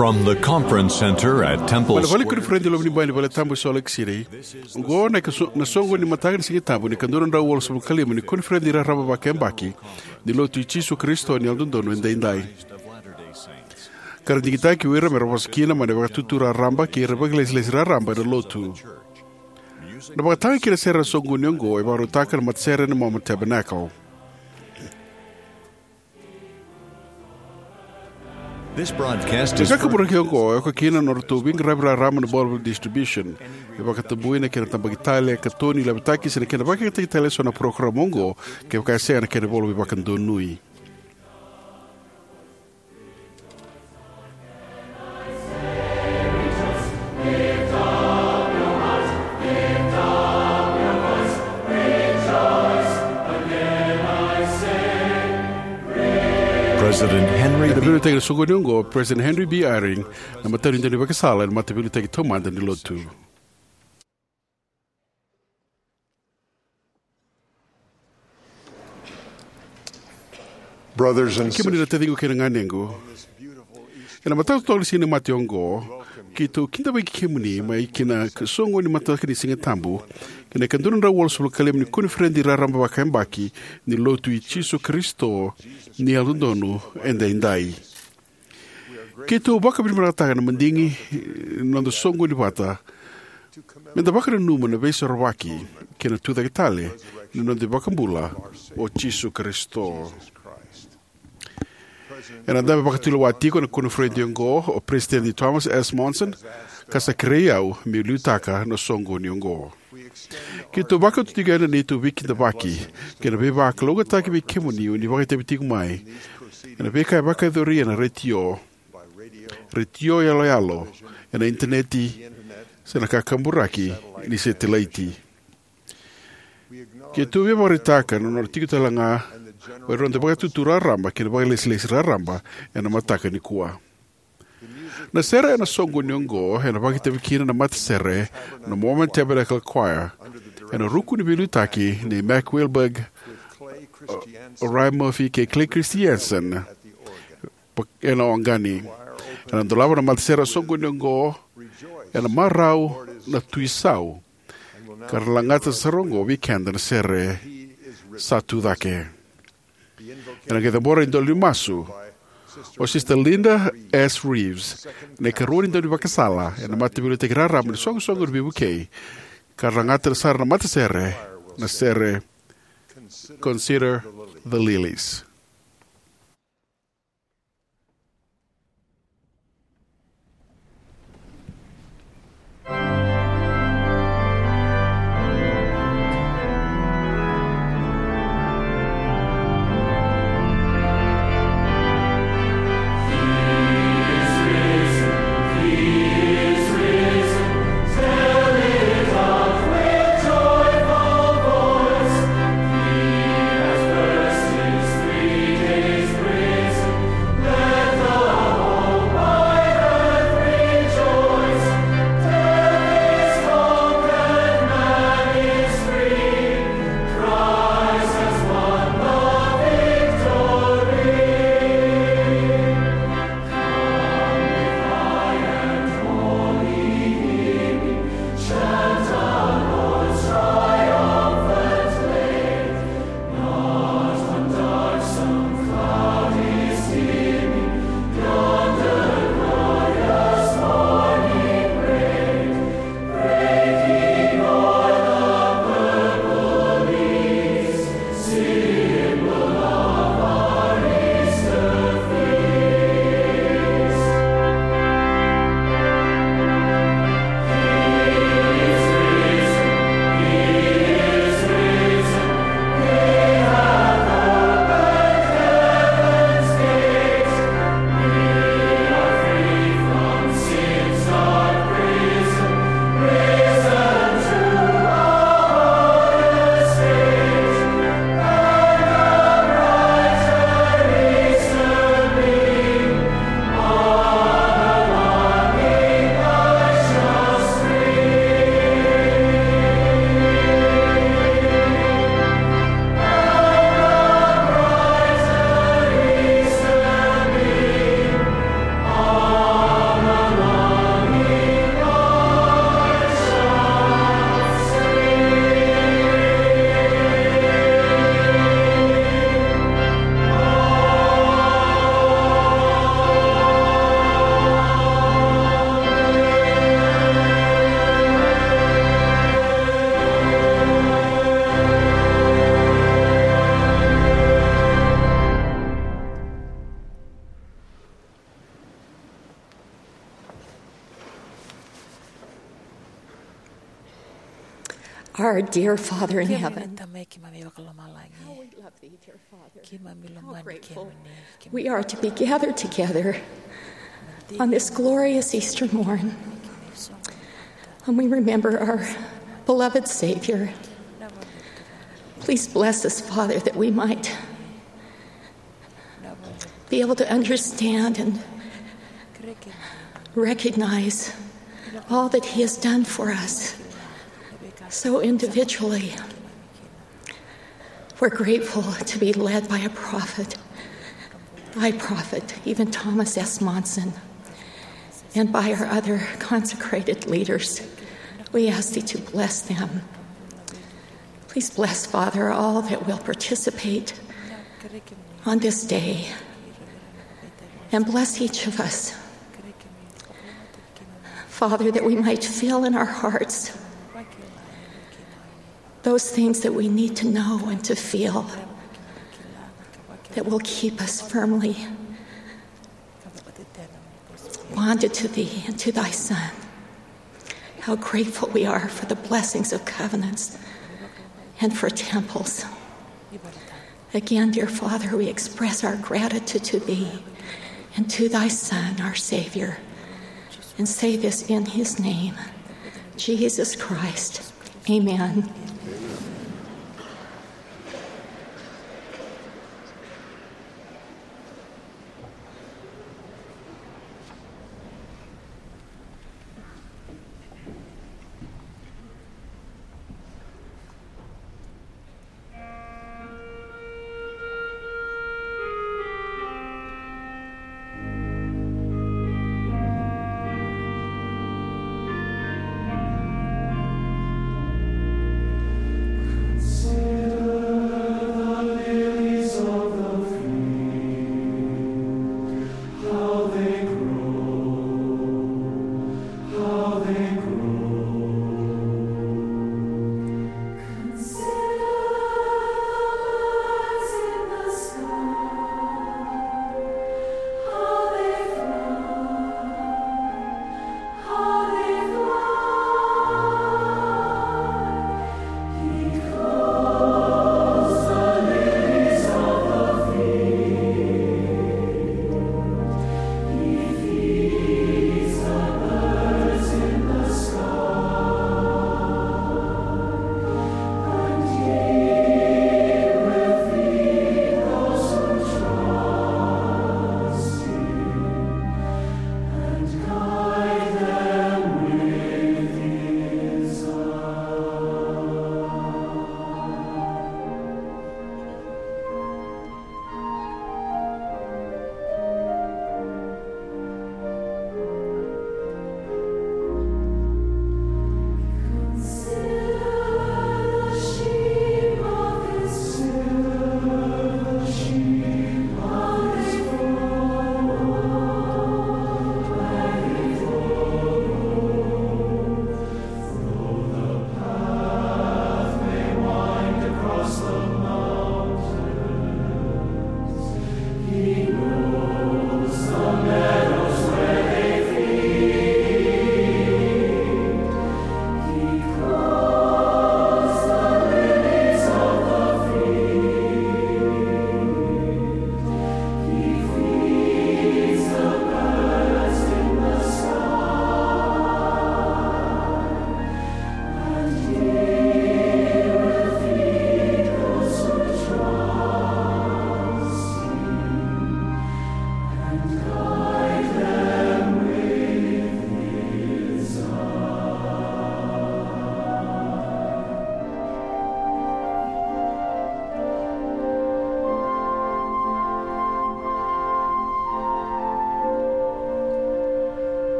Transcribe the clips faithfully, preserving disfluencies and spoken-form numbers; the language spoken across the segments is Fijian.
From the conference center at Temple Mai na vale Square, koniferedi loma ni bai ni vale tabu e Salt Lake City, oqo na ika so-, na soqo ni mataka ni Siga Tabu ni ka dua na drau walusagavulu ka lima ni koniferedi raraba vakayabaki ni Lotu i Jisu Karisito ni Yalododonu Edaidai. Ka ra digitaki o ira me ra vosa kina mai na vakatutu raraba kei ira vakailesilesi raraba ena Lotu. Na vakataga kei na sere ena soqoni oqo e vakarautaka na matasere na Mormon Tabernacle. This broadcast is Na ka kaburaki oqo e oka kina na nodratou veiqaravi raraba na Bourbon Distribution. E vakatabuya na kena tabaki tale, katoni, lavitaki se na kena vakayagataki tale eso na parokaramu oqo, kevaka e sega na kena ivola veivakadonui. President Henry Ena B. veiliutaki ena soqoni oqo, President Henry B. Eyring, na matanitu ni daunivakasala ena Mataveiliutaki Taumada ni Lotu. Brothers and Kemuni na sisters, taciqu kei na ganequ, ena mataka totoka ni Siga ni Mate oqo, keitou kidavaki kemuni mai ki na soqo ni mataka ni Siga Tabu ki na ika dua na drau walusagavulu ka lima ni koniferedi raraba vakayabaki ni Lotu i Jisu Karisito ni Yalododonu Edaidai. Keitou vakavinavinakataka na madigi ni noda soqoni vata, meda vakananuma na Veisorovaki kei na Tucake Tale ni noda iVakabula o Jisu Karisito. Ena dabe vakatulewa tiko ena koniferedi oqo o Peresitedi Thomas S. Monson, ka sa kerei au meu liutaka na soqoni oqo. Keitou vakauta tiko yani na neitou veikidavaki kei na veivakalougatataki vei kemuni o ni vakaitavi tiko mai ena veika e vakayacori ena retio, retio yaloyalo, ena initaneti, se na kakaburaki ni setilaiti. Keitou veivakaraitaka na nodra tiko talega o ira na noda vakatutu raraba kei na vakailesilesi raraba ena mataka nikua. Na sere ena soqoni oqo ena vakaitavi kina na matasere na Mormon Tabernacle Choir ena ruku ni veiliutaki nei Mac Wilberg, o Ryan Murphy kei Clay Christensen ena oqani. Ena dolava na matasere ena soqoni oqo ena marau na Tui Sau, ka ra lagata sara oqo vei keda na sere Sa Tu Cake. Ena qai cabora e dua na masu o Sister Linda S. Reeves, na ikarua ni daunivakasala ena Mataveiliutaki Raraba ni Soqosoqo ni Veivukei, ka ra lagata sara na matasere na sere Consider the Lilies. Our dear Father in heaven, how we love thee, dear Father. How grateful we are to be gathered together on this glorious Easter morn, when we remember our beloved Savior. Please bless us, Father, that we might be able to understand and recognize all that He has done for us so individually. We're grateful to be led by a prophet, thy prophet, even Thomas S. Monson, and by our other consecrated leaders. We ask thee to bless them. Please bless, Father, all that will participate on this day, and bless each of us, Father, that we might feel in our hearts those things that we need to know and to feel that will keep us firmly bonded to thee and to thy Son. How grateful we are for the blessings of covenants and for temples. Again, dear Father, we express our gratitude to thee and to thy Son, our Savior, and say this in his name, Jesus Christ. Amen.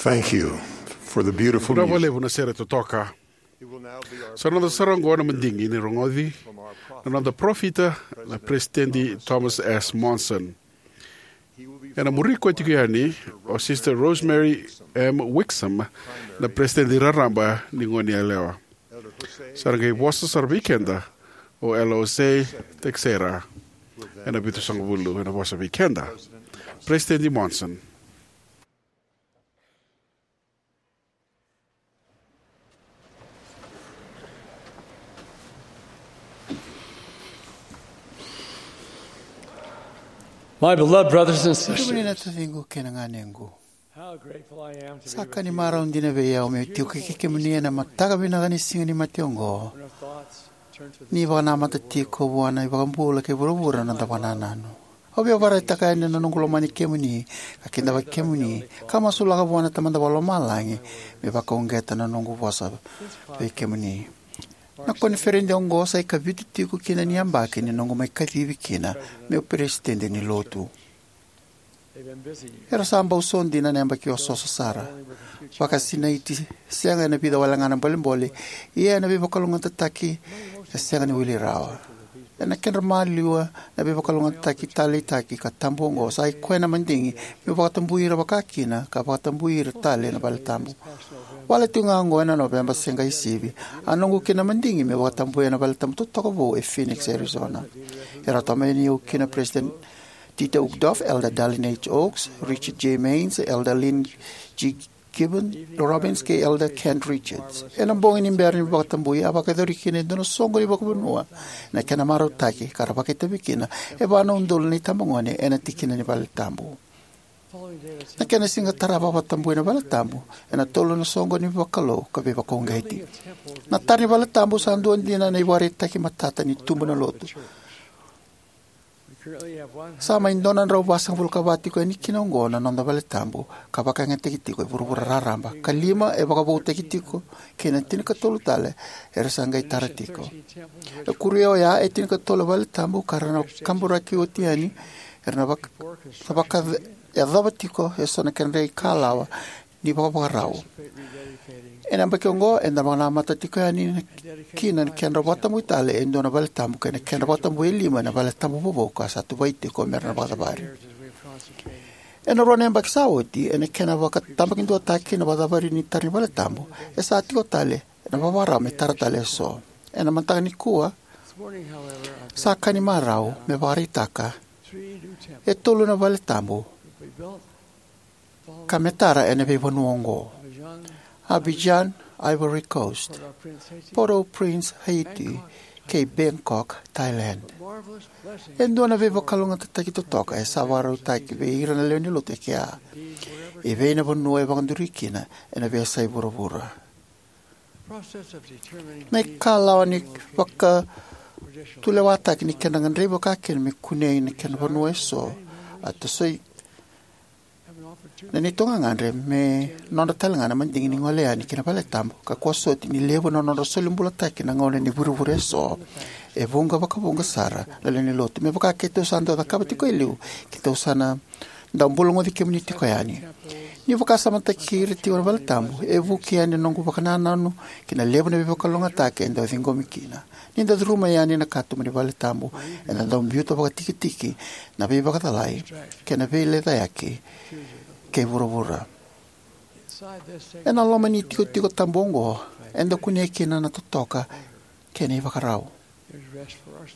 Thank you for the beautiful Vinaka music. Vakalevu na sere totoka. Sa noda sara oqo na madigi ni rogoci na noda parofita, na President Thomas S. Monson. Ena muri koya tiko yani o Sister Rosemary M. Wixom, na President raraba ni Goneyalewa. Sa ra qai vosa sara vei keda o Elder Jose Teixeira, ena vitusagavulu, ena vosa vei keda. President Monson. My beloved brothers and sisters, kemuni na taciqu kei na ganequ, how grateful I am to be sa ka ni marau dina vei au meu tiko kei kemuni ena mataka vinaka ni Siga ni Mate oqo, ni vakanamata tiko vua na iVakabula kei vuravura na noda vakanananu. Au via vakaraitaka yani na noqu lomani kemuni, ka kidavaki kemuni, ka masulaka vua na Tamada Vakalomalagi me vakauqeta na noqu vosa vei kemuni. Na koniferedi oqo sa ikavitu tiko kina ni yabaki ni noqu mai kacivi kina meu peresitedi ni Lotu. Era sa bau so dina na yabaki osooso sara, vakasinaiti sega ena vica wale ga na bolebole, ia ena veivakalougatataki e sega ni wili rawa. Ena kedra maliwa na veivakalougatataki taleitaki ka tabu oqo, sa i koya na madigi meu vakatabui ira vakakina ka vakatabui ira tale na valetabu. Wale tiko ga oqo ena Noveba se qai sivi, a noqu kina madigi meu vakatabuya na valetabu totoka vou e Phoenix, Arizona. Era tomani au kina President Dieter Uchtdorf, Elder Dallin H. Oaks, Richard J. Maynes, Elder Lynn G. Gibbon Robbins, kei Elder Kent Richards. Ena bogi ni bera ni vakatabui, a vakayacori kina e dua na soqo ni vakavanua na kena marautaki, ka ra vakaitavi kina e va na udolu na itabagone ena tikina ni valetabu. Na kena siga tarava a vakatabui na valetabu ena tolu na soqo ni vakalou ka veivakauqeti. Na tara ni valetabu sa dua dina na ivakaraitaki matata ni tubu na Lotu. Sa mai dua na drau vasagavulu ka va tiko yani kina oqo na noda valetabu ka vakayagataki tiko e vuravura raraba, ka lima e vakavoutaki tiko, kei na tinikatolu tale era sa qai tara tiko. E kuria oya e tinikatolu e valetabu ka ra na kaburaki oti yani, era na vaka, na vakayacova tiko eso na kedra ikalawa ni vakavakarau. Ena yabaki oqo eda vakanamata tiko yani kina na kedra vakatabui tale e dua na valetabu kei na kedra vakatabui e lima ena valetabu vovou ka sa tuvai tiko mera na vakacavari. Ena rua na yabaki sa oti, ena kena vakatabakiduataki na vakacavari ni tara ni valetabu, e sa tiko tale ena vakavakarau me tara tale eso. Ena mataka nikua, sa ka ni marau me vakaraitaka e tolu na valetabu ka me tara ena veivanua oqo: Abidjan, Ivory Coast; Port-au-Prince, Haiti; kei Bangkok, Thailand. E dua na veivakalougatataki totoka e sa vakarautaki vei ira na lewe ni Lotu e kea, e vei na vanua e vakaduri kina ena veiyasai vuravura. Na ikalawa ni vakatulewataki ni kedra gadrevi vakakina me kunei na kena vanua eso a tosoi na neitou gagadre me nodra tale ga na madigi ni gole yani ki na valetabu, ka kua soti ni levu na nodra soli bulataki na gauna ni vurevure eso. E vuqa vakavuqa sara na lewe ni Lotu, me vaka keitou sa dau cakava tiko e liu, keitou sa na dau bulagoci kemuni tiko yani. Ni vakasamataki ira tiko na valetabu, e vuki yani na noqu vakanananu ki na levu na veivakalougatataki e dau ciqomi kina. Ni da curuma yani na katuba ni valetabu, eda dau biuta vakatikitiki na veivakacalai kei na veilecayaki kei vuravura. Ena loma ni itikotiko tabu oqo, eda kunea kina na totoka kei na ivakarau.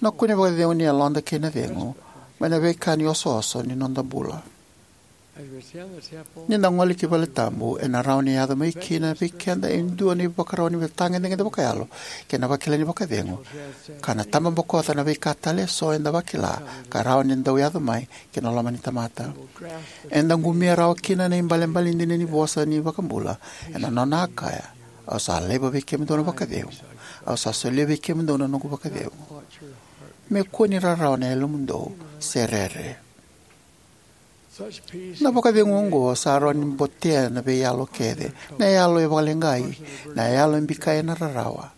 Na kune vakacegu ni yaloda kei na cegu mai na veika ni osooso ni noda bula. Ni da gole ki valetabu, ena rawa ni yaco mai kina vei keda e dua na ivakarau ni veitagedegede vakayalo kei na vakila ni vakacegu, ka na tababokoca na veika tale eso eda vakila ka rawa ni dau yaco mai ki na loma ni tamata. Eda qumia rawa kina na ibalebale dina ni vosa ni iVakabula, ena nona a kaya: "Au sa laiva vei kemudou na vakacegu, au sa solia vei kemudou na noqu vakacegu. Me kua ni rarawa na yalomudou se rere." Na vakacegu oqo sa rawa ni botea na veiyalo kece: na yalo e vakaleqai, na yalo e bikai ena rarawa,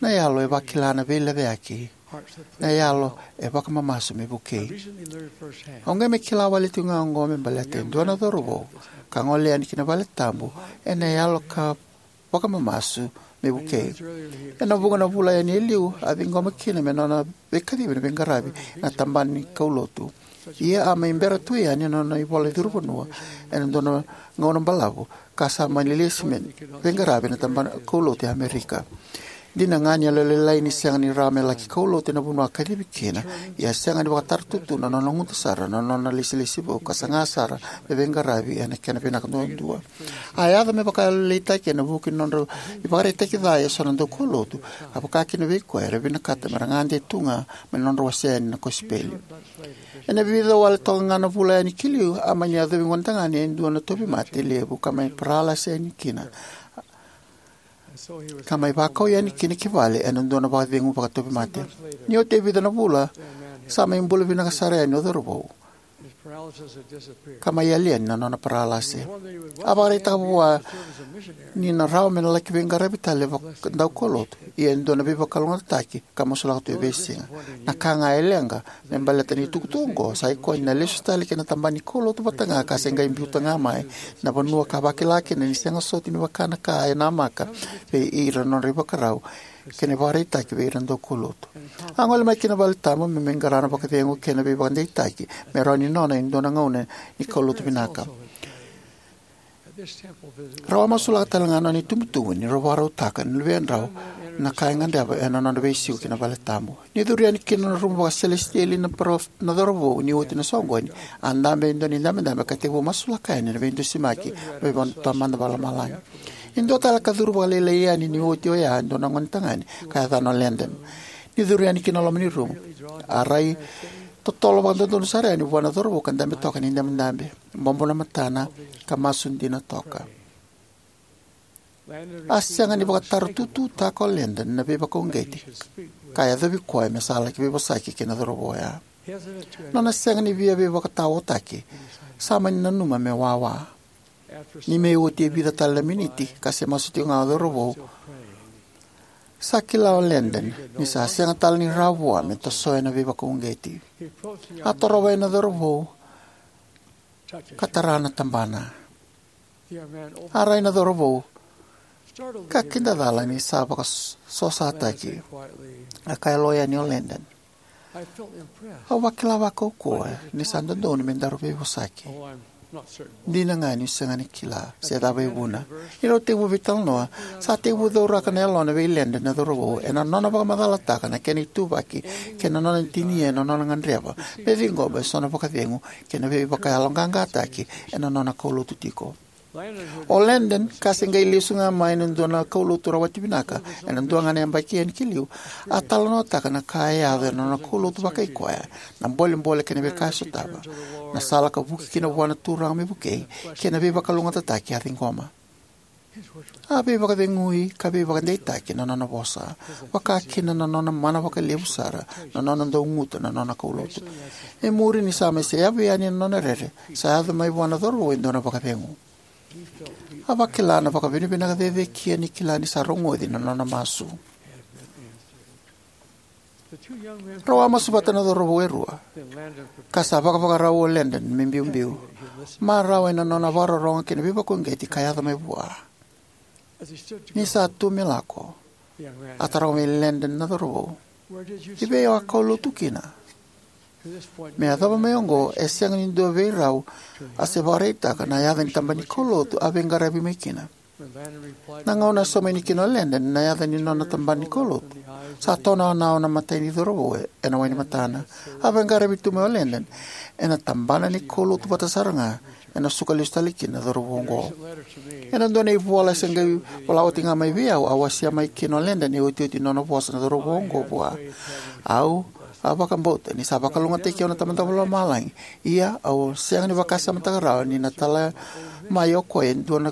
na yalo e vakila na veilecayaki, na yalo e vakamamasu me vukei. Au qai mai kila wale tiko ga oqo me baleta e dua na cauravou ka gole yani ki na valetabu ena yalo ka vakamamasu me vukei. Ena vuqa na vula yani e liu, a ciqoma kina me nona veikacivi na veiqaravi ena tabana ni kaulotu. Ia a mai bera tu yani na nona ivola ni curu vanua ena dua na gauna balavu, ka sa mani lesi me veiqaravi ena tabana kaulotu e Amerika. Dina ga ni a yalolailai ni sega ni rawa me laki kaulotu ena vanua a kacivi kina, ia a sega ni vakataratutu na nona guta sara na nona ilesilesi vou ka saga sara me veiqaravi ena kena vinaka duadua. A yaco me vakayalolailaitaki ena vuku ni nodra ivakaraitaki ca eso na daukaulotu, ka vakakina vei koya era vinakata me ra gade tu ga mai na nodra wasea yani na kosipeli. Ena vica wale toka ga na vula yani ki liu, a mani yacovi gonetagane e dua na tauvimate levu ka mai paralasi yani kina, ka mai vakau yani kina ki vale ena dua na vakacegu vakatauvimate. Ni oti e vica na vula, sa mai bula vinaka sara yani o cauravou, ka mai yali yani na nona paralasi. A vakaraitaka vua ni na rawa me na laki veiqaravi tale vaka daukaulotu, ia e dua na veivakalougatataki, ka masulaka tu e veisiga. Na ka ga e leqa me baleta na itukutuku oqo sa ikoya ni na lesu tale ki na tabana ni kaulotu vata ga ka se qai biuta ga mai na vanua ka vakila kina ni sega soti ni vaka na ka e namaka vei ira na nodra ivakarau kei na ivakaraitaki vei ira na daukaulotu. A gole mai ki na valetabu me mai qara na vakacegu kei na veivakadeitaki me rawa ni nona e dua na gauna ni kaulotu vinaka. Rau a masulaka tale ga na nona itubutubu ni rau vakarautaka na luvedrau na ka e gadreva ena nodra veisiko ki na valetabu. Ni curu yani ki na rumu vakaselesitieli na parofita na cauravou ni oti na soqoni, a dabe e dua na idabedabe ka tekivu masulaka yani na veidusimaki mai vua na Tamada Vakalomalagi. E dua tale ka curu vakalailai yani ni oti oya e dua na gonetagane ka yacana o Landon. Ni curu yani ki na loma ni rumu, a rai totolo vakadodonu sara yani vua na cauravou ka dabe toka ena idabedabe, bobo na matana, ka masu dina toka. A sega ni vakataratututaka o Landon na veivakauqeti ka yacovi koya me sa laki veivosaki kei na cauravou oya. Nona sega ni via veivakataotaki, sa mani nanuma me wawa. Ni mai oti e vica tale na miniti ka se masu tiko ga o cauravou, sa kila o Landon ni sa sega tale ni rawa vua me tosoya na veivakauqeti. A torova yani na cauravou ka tara na tabana. A rai na cauravou, ka kidacala ni sa vakasosataki. A kaya lo yani o Landon, "Au vakila vakaukauwa ni sa dodonu me daru veivosaki. Dina ga niu sega ni kila se cava e vuna." Ni rau tekivu veitalanoa, sa tekivu cauraka na yalona vei Landon na cauravou ena nona vakamacalataka na kena ituvaki kei na nona tinia na nona gadreva me ciqoma eso na vakacegu kei na veivakayaloqaqataki ena nona kaulotu tiko. O Landon, ka se qai lesu ga mai na dua na kaulotu rawati vinaka ena dua ga na yabaki yani ki liu, a talanoataka na ka e yaco ena nona kaulotu vakai koya, na bolebole kei na veika e sotava, na sala ka vuki kina vua na Turaga me vukei, kei na veivakalougatataki a ciqoma. A veivakacegui ka veivakadeitaki na nona vosa, vaka kina na nona mana vakalevu sara, na nona dau guta na nona kaulotu. E muri ni sa mai seyavu yani na nona rere, sa yaco mai vua na cauravou e dua na vakacegu. A vakila na vakavinavinaka cecekia ni kila ni sa rogoci na nona masu. Rau a masu vata na cauravou e rua, ka sa vakavakarau o Landon me biubiu, marau ena nona vakarorogo kei na veivakauqeti ka yaco mai vua. Ni sa tu me lako, a taroga vei Landon na cauravou, "I vei o a kaulotu kina?" Me yacova mai oqo, e sega ni dua vei rau a se vakaraitaka na yaca ni tabana ni kaulotu a veiqaravi mai kina. Na gauna a sauma yani kina o Landon na yaca ni nona tabana ni kaulotu, sa tonaonao na imatai ni cauravou ena wai ni matana. A veiqaravi tu mai o Landon ena tabana ni kaulotu vata sara ga ena suka lesu tale kina na cauravou oqo. Ena dua na ivola se qai vola oti ga mai vei au, a wasea mai kina o Landon e otioti ni nona vosa na cauravou oqo vua. Au a vakabauta ni sa vakalougatataki au na Tamada Vakalomalagi, ia au sega ni vakasamataka rawa ni na tala mai o koya e dua na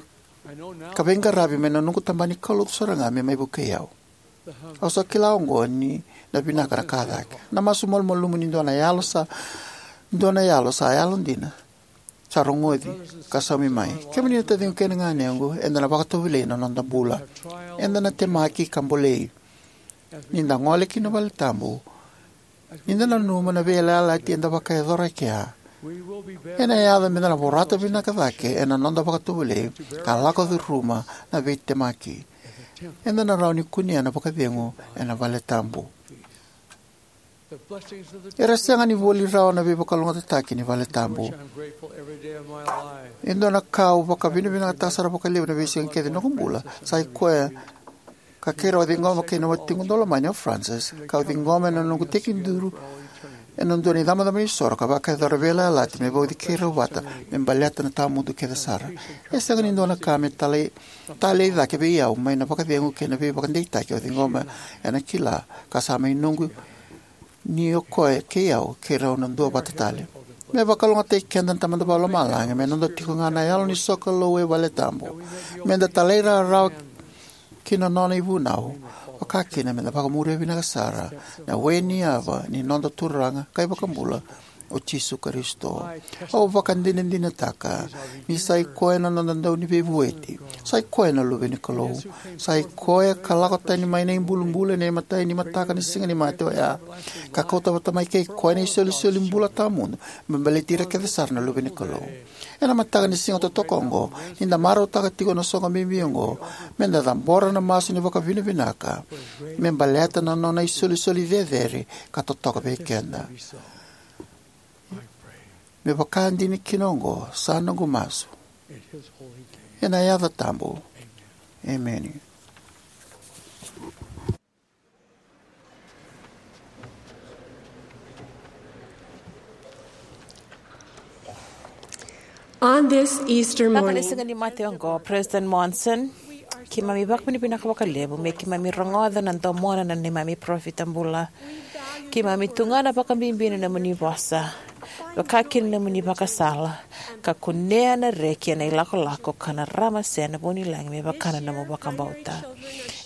ka veiqaravi mai na noqu tabana ni kaulotu sara ga me mai vukei au. Au sa kila oqo ni na vinaka na ka cake. Na masu malumalumu ni dua na yalo sa, dua na yalo sa yalodina, sa rogoci ka saumi mai. Kemuni na taciqu kei na ganequ, eda na vakatovolei na noda bula. Eda na temaki ka bolei. Ni da gole ki na valetabu, ni da nanuma na veiyalayalati eda vakayacora e kea, Ena yaco meda na vorata vinaka cake ena noda vakatovolei ka lako curuma na veitemaki. Eda na rawa ni kunea na vakacegu ena vale tabu. Era sega ni voli rawa na veivakalougatataki ni vale tabu. E dua na ka au vakavinavinakataka sara vakalevu na veisiga kece ni noqu bula sa i koya ka keirau a ciqoma kei na watiqu daulomani o Frances, kau ciqoma ena noqu tekiduru ena dua na icabocabo ni soro ka vakayacora veiyalayalati me vauci keirau vata me baleta na tawamudu kece sara. E sega ni dua na ka me talei, talei cake vei au mai na vakacegu kei na veivakadeitaki au ciqoma ena kila ka sa mai noqu ni o koya kei au keirau na duavata tale. Me vakalougatataki keda na Tamada Vakalomalagi me noda tiko ga na yalo ni sokalou e vale tabu. Meda talairawarawa ki na nona ivunau, vakakina meda vakamuria vinaka sara na we ni yava ni noda Turaga ka iVakabula o Jisu Karisito. Au vakadinadinataka ni sa i koya na noda Dauniveivueti. Sa i koya na Luve ni Kalou. Sa i koya ka lako tani mai na ibulubulu ena imatai ni mataka ni Siga ni Mate oya, ka kauta vata mai kei koya na isolisoli bula tawamudu me baleti ira kece sara na luve ni Kalou. Ena mataka ni siga totoka oqo, ni da marautaka tiko na soqo bibi oqo, me da cabora na masu ni vakavinavinaka me baleta na nona isolisoli cecere ka totoka vei keda. Me vakadina kina oqo sa noqu masu ena yaca tabu. Emeni. On this Easter morning, siga ni mate oqo, President Monson, keimami vakavinavinaka vakalevu me keimami rogoca na domona na neimami parofita bula. Keimami tu ga na vakabibi na nomuni vosa, vakakina na nomuni vakasala, ka kunea na reki ena ilakolako ka na ramase na vunilagi me vaka na nomu vakabauta.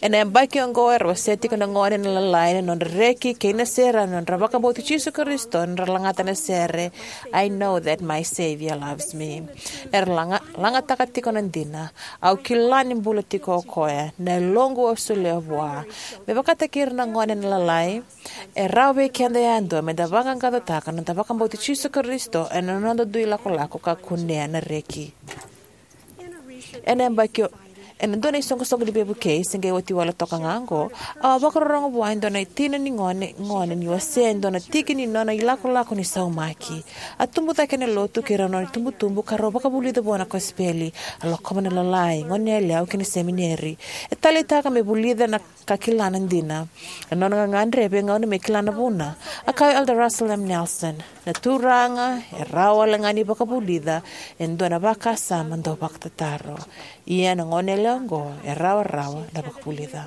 Ena yabaki oqo era wasea tiko na gone na lalai na nodra reki kei na sere na nodra vakabauti Jisu Karisito, na nodra lagata na sere, "I know that my Savior loves me." Era laga, lagataka tiko na dina, "Au kila ni bula tiko o koya, na yaloqu au solia vua." Me vakataki ira na gone na lalai, e rawa vei keda yadua me da vaqaqacotaka na noda vakabauti Jisu Karisito ena noda dui lakolako ka kunea na reki. Ena yabaki o, ena dua na isoqosoqo ni veivukei se qai oti wale toka ga oqo, au a vakarorogo vua e dua na tina ni gone, gone ni wasea e dua na tiki ni nona ilakolako ni saumaki. A tubu cake ena lotu kei rau na nona itubutubu ka rau vakavulica vua na kosipeli. A lakova na lalai, goneyalewa kei na semineri. E taleitaka me vulica na ka kila na dina. Na nona gagadre e veigauna me kila na vuna. A kaya o Elder Russell M. Nelson, "Na Turaga e rawa wale ga ni vakavulica e dua na vakasama dau vakatataro. Ia na goneyalewa oqo e rawarawa na vakavulica."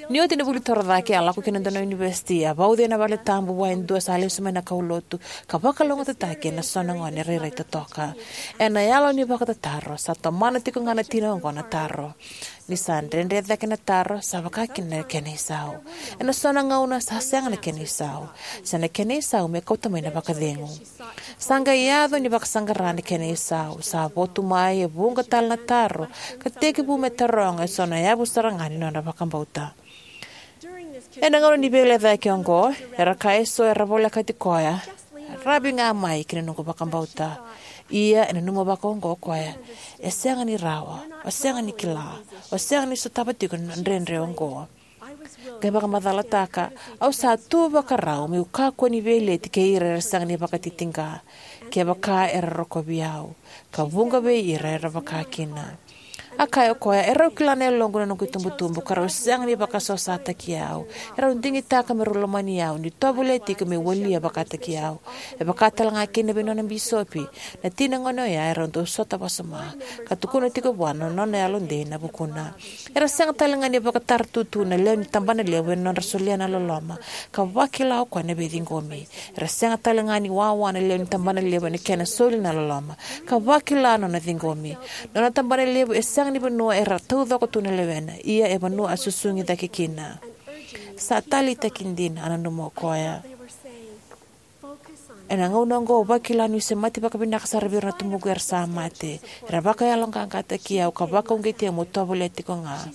Ni oti na vuli torocake, a lako ki na dua na univesiti, a vauci ena vale tabu vua e dua sa lesu mai na kaulotu, ka vakalougatataki ena so na gone rairai totoka. Ena yalo ni vakatataro, sa tomana tiko ga na tina oqo na taro. Ni sa dredre cake na taro, sa vaka kina na kena isau. Ena so na gauna sa sega na kena isau. Se na kena isau me kauta mai na vakacegu. Sa qai yaco ni vakasaqara na kena isau. Sa votu mai e vuqa tale na taro, ka tekivu me taroga e so na yavu sara ga ni nona vakabauta. Ena gauna ni veilecayaki oqo, era kaya e so era volekati koya, "Ravi ga mai ki na noqu vakabauta." Ia, e nanuma vaka oqo o koya, "E sega ni rawa, o sega ni kila, o sega ni sotava tiko na dredre oqo." Qai vakamacalataka, "Au sa tu vakarau meu kakua ni veileti kei ira era sega ni vakatitiqa, kevaka era rokovi au, ka vuqa vei ira era vaka kina." A kaya o koya, "E rau kila na yaloqu na noqu itubutubu, ka rau sega ni vakasosataki au. E rau digitaka me rau lomani au, ni tovolea tiko me walia vakataki au." E vaka tale ga kina vei nona bisopi, na tina gone oya e rau dau sota wasoma, ka tukuna tiko vua na nona yalodei ena vukuna. Era sega tale ga ni vakataratutu na lewe ni tabanalevu ena nodra solia na loloma, ka vakila o koya na veiciqomi. Era sega tale ga ni wawa na lewe ni tabanalevu ena kena soli na loloma, ka vakila na nona ciqomi. Na nona tabanalevu e sega ni vanua era taucoko tu na lewena, ia e vanua a susugi cake kina. Sa taleitaki dina, a nanuma o koya. Ena gauna oqo au vakila niu semati vakavinaka sara vei ira na tubuqu era sa mate. Era vakayaloqaqataki au ka vakauqeti au meu tovolea tiko ga.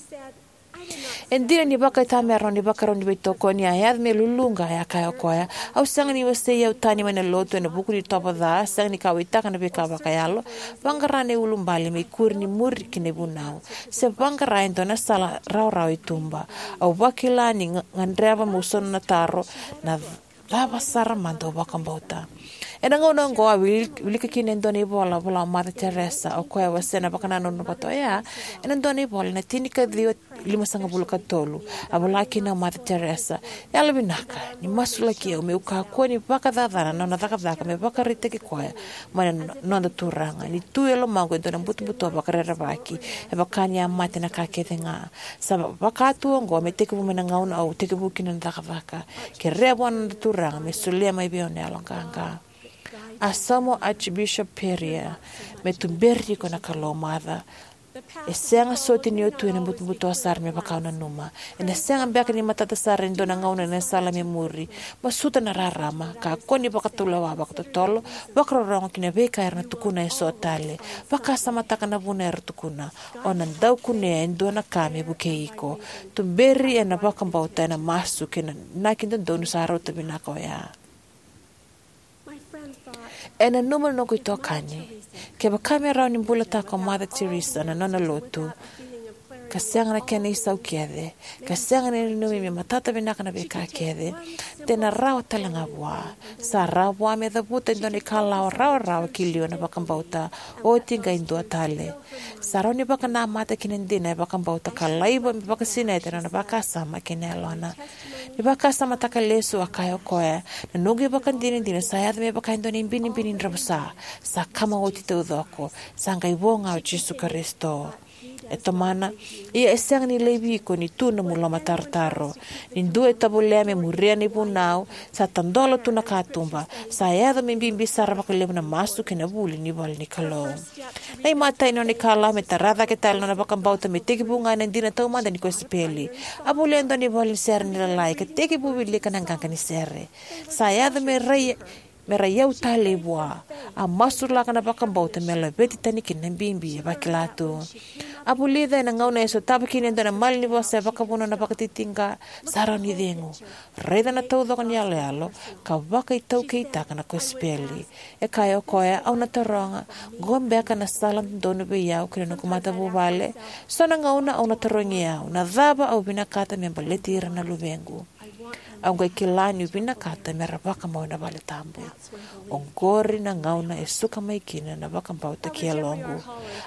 E dina ni vakaitamera na nona ivakarau ni veitokoni, a yaco me luluqa. E a kaya o koya, au sega ni wasei au tani mai na lotu ena vuku ni itovo ca, sega ni kauwaitaka na veika vakayalo, vaqara na iulubale me ikuri ni muri ki na ivunau, se vaqara e dua na sala rawarawa i tuba. Au vakila ni ga- gadreva meu sauma na taro, na cava sara mada au vakabauta? Ena gauna oqo a wil- wilika kina e dua na ivola vola o Mother Teresa, o koya e wasea na vakanananu vata oya ena dua na ivola ena tini ka ciwa limasagavulu ka tolu. A vola kina o Mother Teresa, yalovinaka ni masulaki au meu kakua ni vakacacana na nona cakacaka me vakaraitaki koya mai na no- noda Turaga. Ni tu e lomaqu e dua na butobuto vakarerevaki, e vaka ni a mate na ka kece ga. Sa va- vaka tu oqo me tekivu mai na gauna au tekivu kina na cakacaka. Kerea vua na noda Turaga me solia mai vei au na yaloqaqa. A sauma o Archbishop Perrier, me tuberi iko na Kalou, Mother. E sega soti ni o tu ena butobuto sara me vaka au nanuma. Ena sega beka ni matata sara e dua na gauna ena sala me muri. Masuta na rarama, kakua ni vakatulewa vakatotolo, vakarorogo ki na veika era na tukuna eso tale. Vakasamataka na vuna era tukuna. O na dau kunea e dua na ka me vukei iko. Tuberi ena vakabauta, ena masu kei na inaki dodonu sa rauta vinaka oya. E nanuma na noqu itokani, kevaka me rawa ni bulataka o Mother Teresa na nona lotu, ka sega na kena isau kece, ka sega ni nanumi me matata vinaka na veika kece, de na rawa tale ga vua. Sa rawa vua me cavuta e dua na ikalawa rawarawa ki liu ena vakabauta, oti qai dua tale. Sa rawa ni vakanamata ki na dina e vakabauta ka laiva me vakasinaita na nona vakasama kei na yalona. Ni vakasamataka lesu, a kaya o koya, na noqu ivakadinadina sa yaco me vaka e dua na ibinibini dravusa, sa kama oti taucoko, sa qai vo ga o Jisu Karisito. E tomana, ia e sega ni laivi iko ni tu nomu lomatarotaro. Ni dua e tovolea me muria na ivunau, sa tadola tu na katuba, sa yaco me bibi sara vakalevu na masu kei na vuli ni ivola ni Kalou. Na imatai ni nona ikalawa me tara cake tale na nona vakabauta me tekivu ga ena dina taumada ni kosipeli. A volia e dua na ivola ni sere ni Lalai ka tekivu wilika na qaqa ni sere. Sa yaco me rai me ra iyau talei vua. A masulaka na vakabauta me laveti tani kina na bibi e vakila tu. A vulica ena gauna e sotava kina e dua na malanivosa e vakavuna na vakatitiqa, sa rawa ni cegu. Raica na taucoko ni yaloyalo ka vakaitaukeitaka na kosipeli. E kaya o koya, au na taroga, qo beka na sala dodonu vei au kei na noqu matavuvale? So na gauna au na tarogi au, na cava au vinakata me baleti ira na luvequ? Au qai kila niu vinakata me ra vakamau ena vale tabu. Oqori na gauna e suka mai kina na vakabauta ki yaloqu.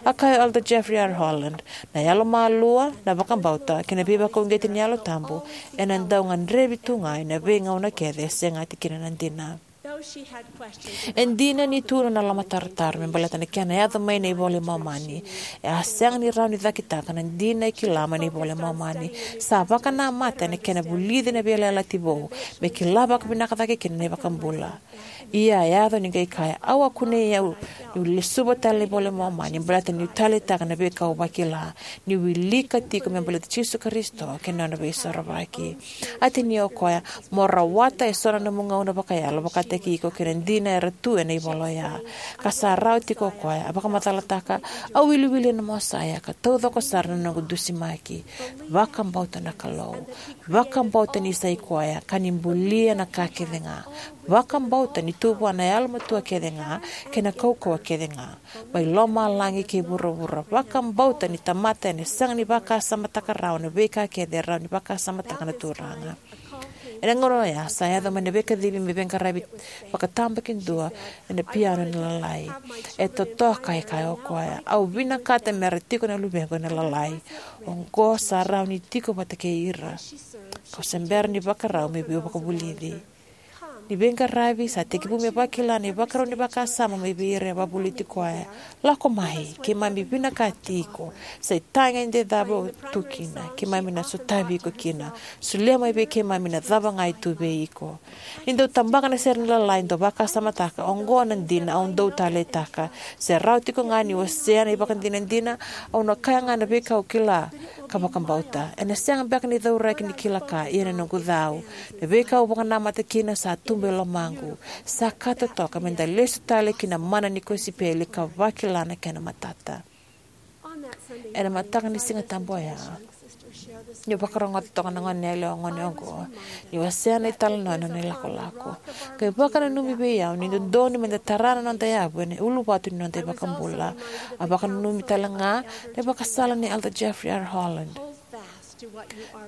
A kaya o Elder Jeffrey R. Holland, na yalomalua, na vakabauta kei na veivakauqeti ni Yalo Tabu ena dau gadrevi tu ga ena veigauna kece e segati kina na dina. E dina ni tu na nona lomatarotaro me baleta na kena yaco mai na iVola i Momani, e a sega ni rawa ni cakitaka na dina e kila mai na iVola i Momani. Sa vakanamata ena kena vulici na Veiyalayalati Vou me kila vakavinaka cake kina na iVakabula. Ia a yaco ni qai kaya, au a kunei au niu lesuva tale na iVola i Momani baleta niu taleitaka na veika au vakila, niu wilika tiko me baleti Jisu Karisito kei na nona veisorovaki. A tinia o koya, mo rawata eso na nomu gauna vakayalo vakataki iko kei na dina era tu ena ivola oya. Ka sa rawa tiko o koya, a vakamacalataka, au wiliwili ena Mosaia ka taucoko sara na noqu dusimaki. Vakabauta na Kalou. Vakabauta ni sa i koya ka ni bulia na ka kece ga. Vakabauta ni tu vua na yalomatua kece ga kei na kaukauwa kece ga, mai lomalagi kei vuravura. Vakabauta ni tamata ena sega ni vakasamataka rawa na veika kece e rawa ni vakasamataka na Turaga. Ena gauna oya sa yaco mai na veikacivi me veiqaravi vakatabakidua ena piano ni Lalai. E totoka, e kaya o koya, au vinakata me ra tiko na luvequ ena Lalai. Oqo sa rawa ni tiko vata kei ira. Kau se bera ni vakarau me veivakavulici. Ni veiqaravi sa tekivu me vakila na ivakarau ni vakasama mai vei ira e vakavulici koya. Lako mai, keimami vinakati iko. Sa itaqa eda cava tu kina, keimami na sotavi iko kina. Solia mai vei keimami na cava ga e tu vei iko. Ni dau tabaka na sere ni Lalai, dau vakasamataka, oqo na dina au dau taleitaka. Se rawa tiko ga ni wasea na ivakadinadina, au na kaya ga na veika au kila ka vakabauta. Ena sega beka ni cauraki ni kila ka, ia na noqu cau. Na veika au vakanamata kina sa tubu e lomaqu. Sa ka totoka me da lesu tale ki na mana ni kosipeli ka vakila na kena matata. Ena mataka ni Siga Tabu oya, Niu vakarogoca toka na goneyalewa gone oqo ni wasea na italanoa ena nona ilakolako, qai vakananumi vei au ni dodonu meda tara na noda yavu ena uluvatu ni noda iVakabula. A vakananumi talega na ivakasala nei Elder Jeffrey R. Holland: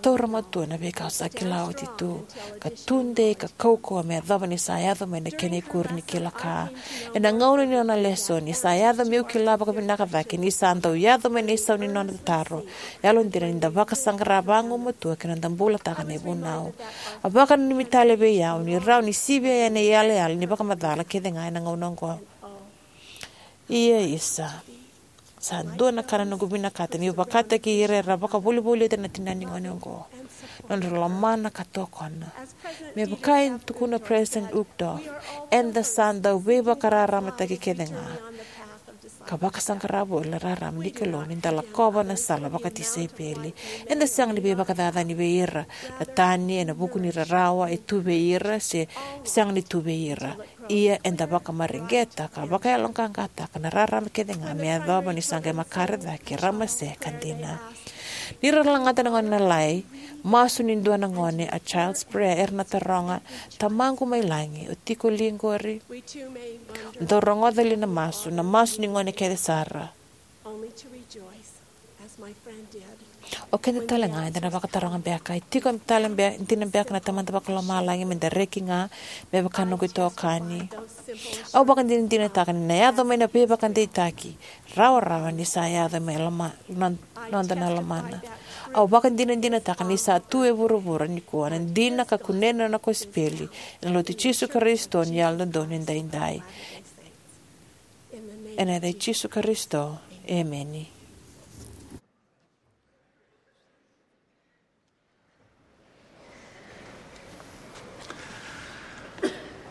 Taura matua na veika o sa kila oti tu, ka tudei ka kaukauwa me yacova ni sa yaco mai na kena ikuri ni kila ka. Ena gauna ni nona lesoni, sa yaco meu kila vakavinaka cake ni sa dau yaco mai na isau ni nona taro. Yalodina ni da vakasaqara vagumatua ki na noda bulataka na ivunau. A vakananumi tale vei au ni rawa ni sivia yani na iyalayala ni vakamacala kece ga ena gauna oqo. Ia, isa, sa dua na ka na noqu vinakata meu vakataki ira era vakavolivolita na tina ni gone oqo: nodra lomana ka tokona. Me vaka e tukuna o Peresitedi Uchtdorf, eda sa dau veivakararamataki kece ga ka vakasaqara voli na rarama ni Kalou ni da lakova na sala vakatisaipeli. Eda sega ni veivakacacani vei ira. Na tani ena vuku ni rarawa e tu vei ira se sega ni tu vei ira. Ia, eda vakamareqeta ka vakayaloqaqataka na rarama kece ga me yacova ni sa qai makare cake, ramase, ka dina. Ni ra lagata na gone na lai, masu ni dua na gone, A Child's Prayer, era na taroga: Tamaqu mai Lagi, o tiko li qori? Dou rogoca li na masu, na masu ni gone kece sara? O keda talega eda na vakataroga beka: E tiko tale be-, dina beka na Tamada Vakalomalagi meda reki ga me vaka noqu itokani? Au vakadinadinataka ni na yaco mai na veivakadeitaki rawarawa ni sa yaco mai loma-, no-, noda na lomana. Au vakadinadinataka ni sa tu e vuravura nikua na dina ka kunei na nona kosipeli ena Lotu i Jisu Karisito ni Yalododonu Edaidai. Ena yaca i Jisu Karisito, emeni.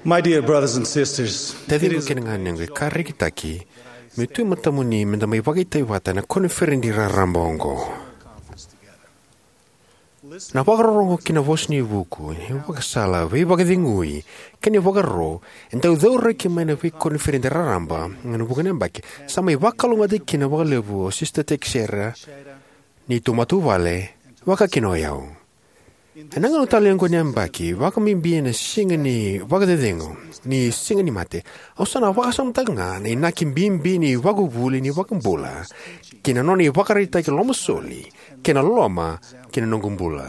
My dear brothers and sisters, taciqu kei na ganequ, e ka rekitaki meu tu e matamuni meda mai vakaitavi vata ena koniferedi raraba oqo. Na vakarorogo ki na Vosa ni Vuku, ivakasala, veivakacegui, kei na ivakaro e dau cauraki mai na veikoniferedi raraba ena vuqa na yabaki, sa mai vakalougatataki kina vakalevu o Sisita Teixeira, neitou matavuvale, vaka kina o yau. Ena gauna talei oqo ni yabaki, vakabibi ena siga ni vakacecegu, ni Siga ni Mate, au sa na vakasamataka ga na inaki bibi ni ivakavuvuli ni iVakabula kei na nona ivakaraitaki lomasoli kei na loloma ki na noqu bula.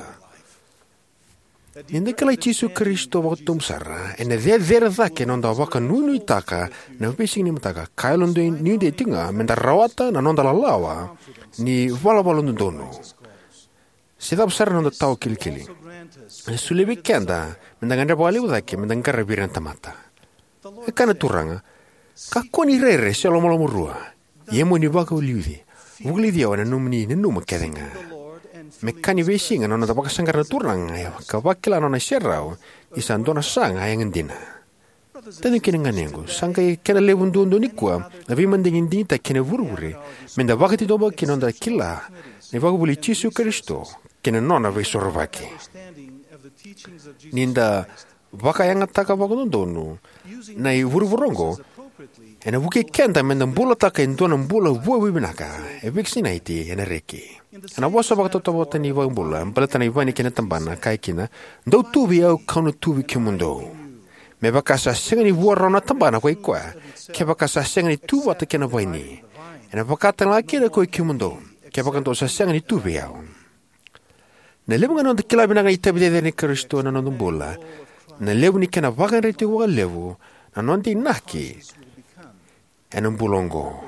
Ni da kilai Jisu Karisito vakatobu sara, ena cecere cake na noda vakanuinuitaka na veisiga ni mataka, ka yalonuidei tiko ga meda rawata na noda lalawa ni valavala dodonu, se cava sara na noda tawa kilikili. E solia vei keda meda gadreva vakalevu cake meda qaravi ira na tamata. E kaya na Turaga: Kakua ni rere se lomalomarua, ia mo ni vakaliuci, vulici au ena nomuni nanuma kece ga. Me ka ni veisiga na noda vakasaqara na Turaga ka vakila na nona iserau, ni sa dua na saga yaga dina. Taciqu kei na ganequ, sa qai kena levu duadua nikua na veimadigi digitaki kei na ivurevure meda vakatitobu kina noda kila na ivakavuvuli i Jisu Karisito kei na nona Veisorovaki. Ni da vakayagataka vakadodonu na ivurevure oqo, ena vukei keda meda bulataka e dua na bula vua veivinaka, e vakasinaiti ena reki. Ena vosa vakatautauvata ni iVakabula baleta na ivaini kei na tabana, kaya kina: Dou tu vei au, kau na tu vei kemudou. Me vaka sa sega ni vua rawa na tabana ko i koya, kevaka sa sega ni tu vata kei na vaini, ena vaka talega kina ko i kemudou, kevaka dou sa sega ni tu vei au. Na levu ga ni noda kila vinaka na itavi cecere nei Karisito ena noda bula, na levu ni kena vakayadrati vakalevu na noda inaki ena bula oqo.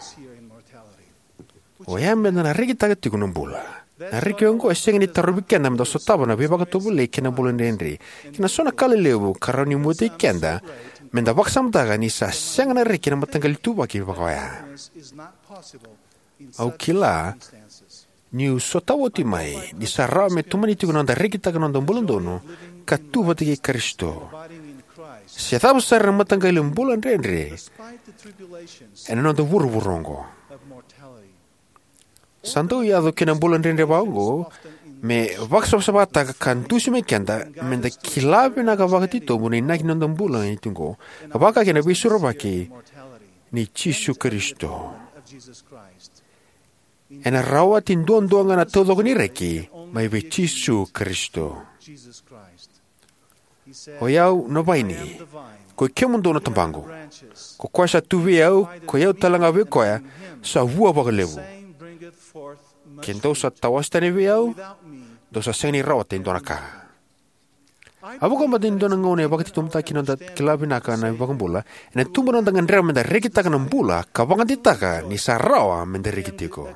Oya meda na rekitaka tiko na bula. Na reki oqo e sega ni tarovi keda meda sotava na veivakatovolei kei na bula dredre kei na so na ka lelevu ka rawa ni muataki keda meda vakasamataka ni sa sega na reki ena mataqali ituvaki vaka oya. Au kila niu sotava oti mai ni sa rawa me tomani tiko na noda rekitaka na noda bula donu ka tu vata kei Karisito, se cava sara na mataqali bula dredre ena noda vuravura oqo. Sa dau yaco ki na bula dredre vaka oqo me vakasavasavataka ka dusi mai keda meda kila vinaka vakatitobu na inaki ni noda bula ni tiko, ka vaka kina na Veisorovaki nei Jisu Karisito. Ena rawati duadua ga na taucoko ni reki, mai vei Jisu Karisito. Oi au na vaini, koi kemudou na tabaqu. Ko koya sa tu vei au, koi au talega vei koya, sa vua vakalevu. Ke dou sa tawase tani vei au, dou sa sega ni rawata e dua na ka. A vakabauta ni dua na gauna e vakatitobutaki na noda kila vinaka na iVakabula, ena tubu na noda gadreva meda rekitaka na bula ka vakadeitaka ni sa rawa meda reki tiko.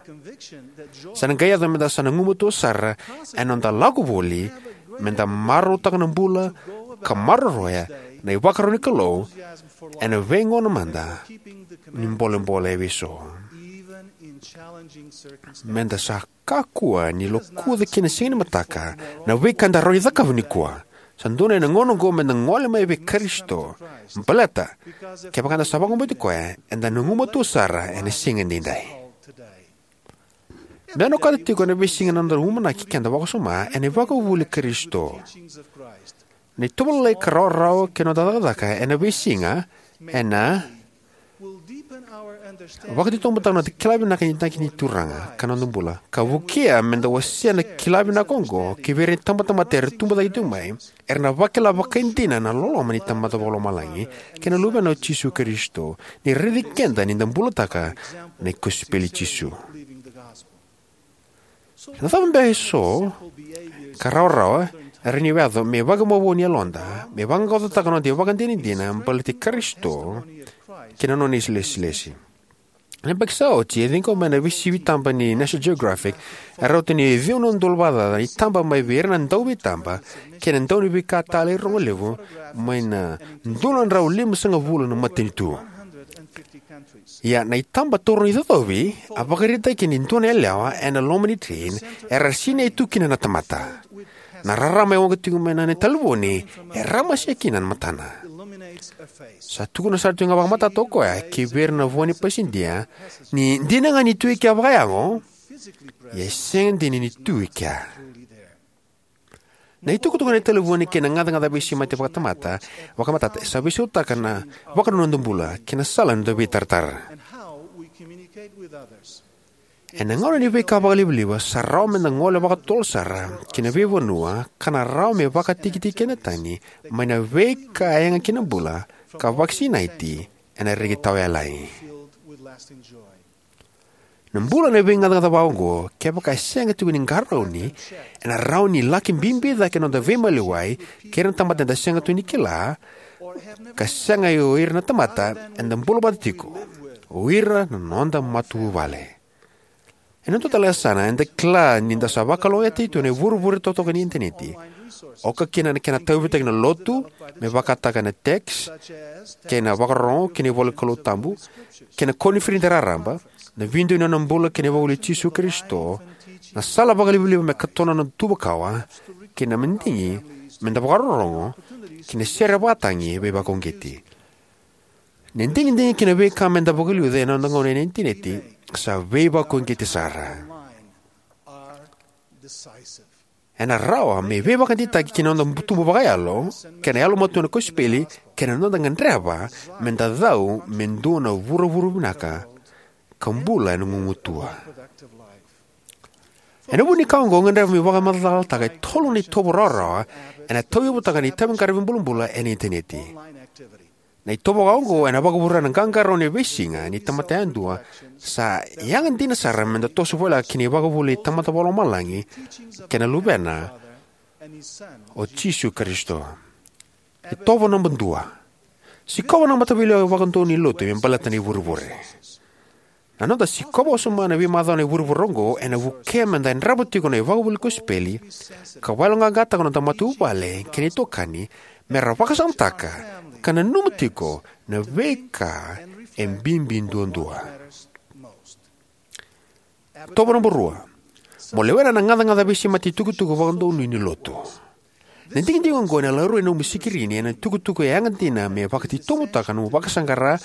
Sa na qai yaco meda sa na gumatua sara ena noda lako voli meda marautaka na bula ka maroroya na ivakaro ni Kalou ena veigauna mada ni bolebole e veiso. Meda sa kakua ni lokuca ki na siga ni mataka na veika eda rawa ni cakava nikua. Sa dodonu ena gauna oqo meda gole mai vei Karisito, baleta kevaka eda sa vakabauti koya, eda na gumatua sara ena siga edaidai. Meda na okata tiko ena veisiga na noda umanaki keda vakawasoma ena ivakavuvuli i Karisito. Na itovo lalai ka rawarawa kei na noda cakacaka ena veisiga ena vakatitobutaka na noda kila vinaka ni inaki ni Turaga ka noda bula, ka vukea meda wasea na kila vinaka oqo ki vei ira na itabatamata era tubu cake tiko mai, era na vakila vakaidina na loloma ni Tamada Vakalomalagi kei na Luvena o Jisu Karisito, ni raici keda ni da bulataka na kosipeli i Jisu. Na cava beka eso ka rawarawa e rawa ni yaco me vakamavoa ni yaloda me vaqaqacotaka na noda ivakadinadina baleti Karisito kei na nona ilesilesi? Na yabaki sa oti, e ciqoma ena veisivi taba ni National Geographic, e rauta ni ciwa na udolu vakacaca na itaba mai vei ira na dauveitaba kei na dauniveika talei rogo levu mai na dua na drau limasagavulu na matanitu. Ia na itaba taura na icocovi a vakaraitaki ni dua na yalewa ena loma ni train era sinai tu kina na tamata. Na rarama e waqa tiko mai na nona talevoni e ramasia kina na matana. Sa tukuna sara tiko ga vakamatata o koya ki vei ira na vo ni pasidia ni dina ga ni tu e kea vakayago, ia e sega dina ni tu e kea. Na itukutuku ena talevoni kei na gacagaca veisemati vakatamata, vakamatata, sa veisautaka na vakananuma ni noda bula kei na sala ni noda veitaratara. Ena gauna ni veika vakalivaliva, sa rawa meda gole vakatotolo sara ki na veivanua ka na rawa me vakatikitiki keda tani mai na veika e yaga kina na bula ka vakasinaiti ena reki tawayalani. Na bula ena veigacagaca vakaoqo, kevaka e sega tiko ni qarauni, ena rawa ni laki bibi cake na noda veimaliwai kei ira na tamata eda sega tu ni kila, ka sega o ira na tamata eda bula vata tiko, o ira na noda matavuvale. Ena dua tale na yasana, eda kila ni da sa vakalougatataki tu ena ivurevure totoka ni initaneti, oka kina na kena tauyavutaki na lotu, me vakataka na text kei na vakarorogo ki na ivola ni Kalou tabu, kei na koniferedi raraba, na vidio ni nona bula kei na ivakavuvuli i Jisu Karisito, na sala vakalivaliva me katona na noda tuva kawa, kei na madigi meda vakarorogo, kei na sere vakatagi veivakauqeti. Na digidigi kei na veika meda vakaliuca ena noda gauna ena initaneti sa veivakauqeti sara. Ena rawa me veivakadeitaki ki na noda tubu vakayalo kei na yalomatua ena kosipeli, kei na noda gadreva meda cau me dua na vuravura vinaka ka bula ena gugumatua. Ena vuku ni ka oqo, au gadreva meu vakamacalataka e tolu na itovo rawarawa ena tauyavutaka na itaviqaravi bulabula ena initaneti. Na itovo vakaoqo ena vakavurea na qaqarauni e veisiga ni tamata yadua sa yaga dina sara meda toso voleka ki na ivakavuvuli ni Tamada Vakalomalagi kei na Luvena o Jisu Karisito. Itovo naba dua: sikova na mataveiliutaki vakadonui ni lotu me baleta na ivurevure. Na noda sikova wasoma na veimacawa ena ivurevure oqo ena vukea meda yadrava tiko na ivakavuvuli ni kosipeli, ka vakayaloqaqataka na noda matavuvale kei na itokani mera vakasamataka ka nanuma tiko na veika e bibi duadua. Itovo naba rua: mo lewena na gacagaca veisemati itukutuku vakadonui ni lotu. Na digidigi oqo ena laurai ena nomu sikirini ena itukutuku e yaga dina me vakatitobutaka na nomu vakasaqara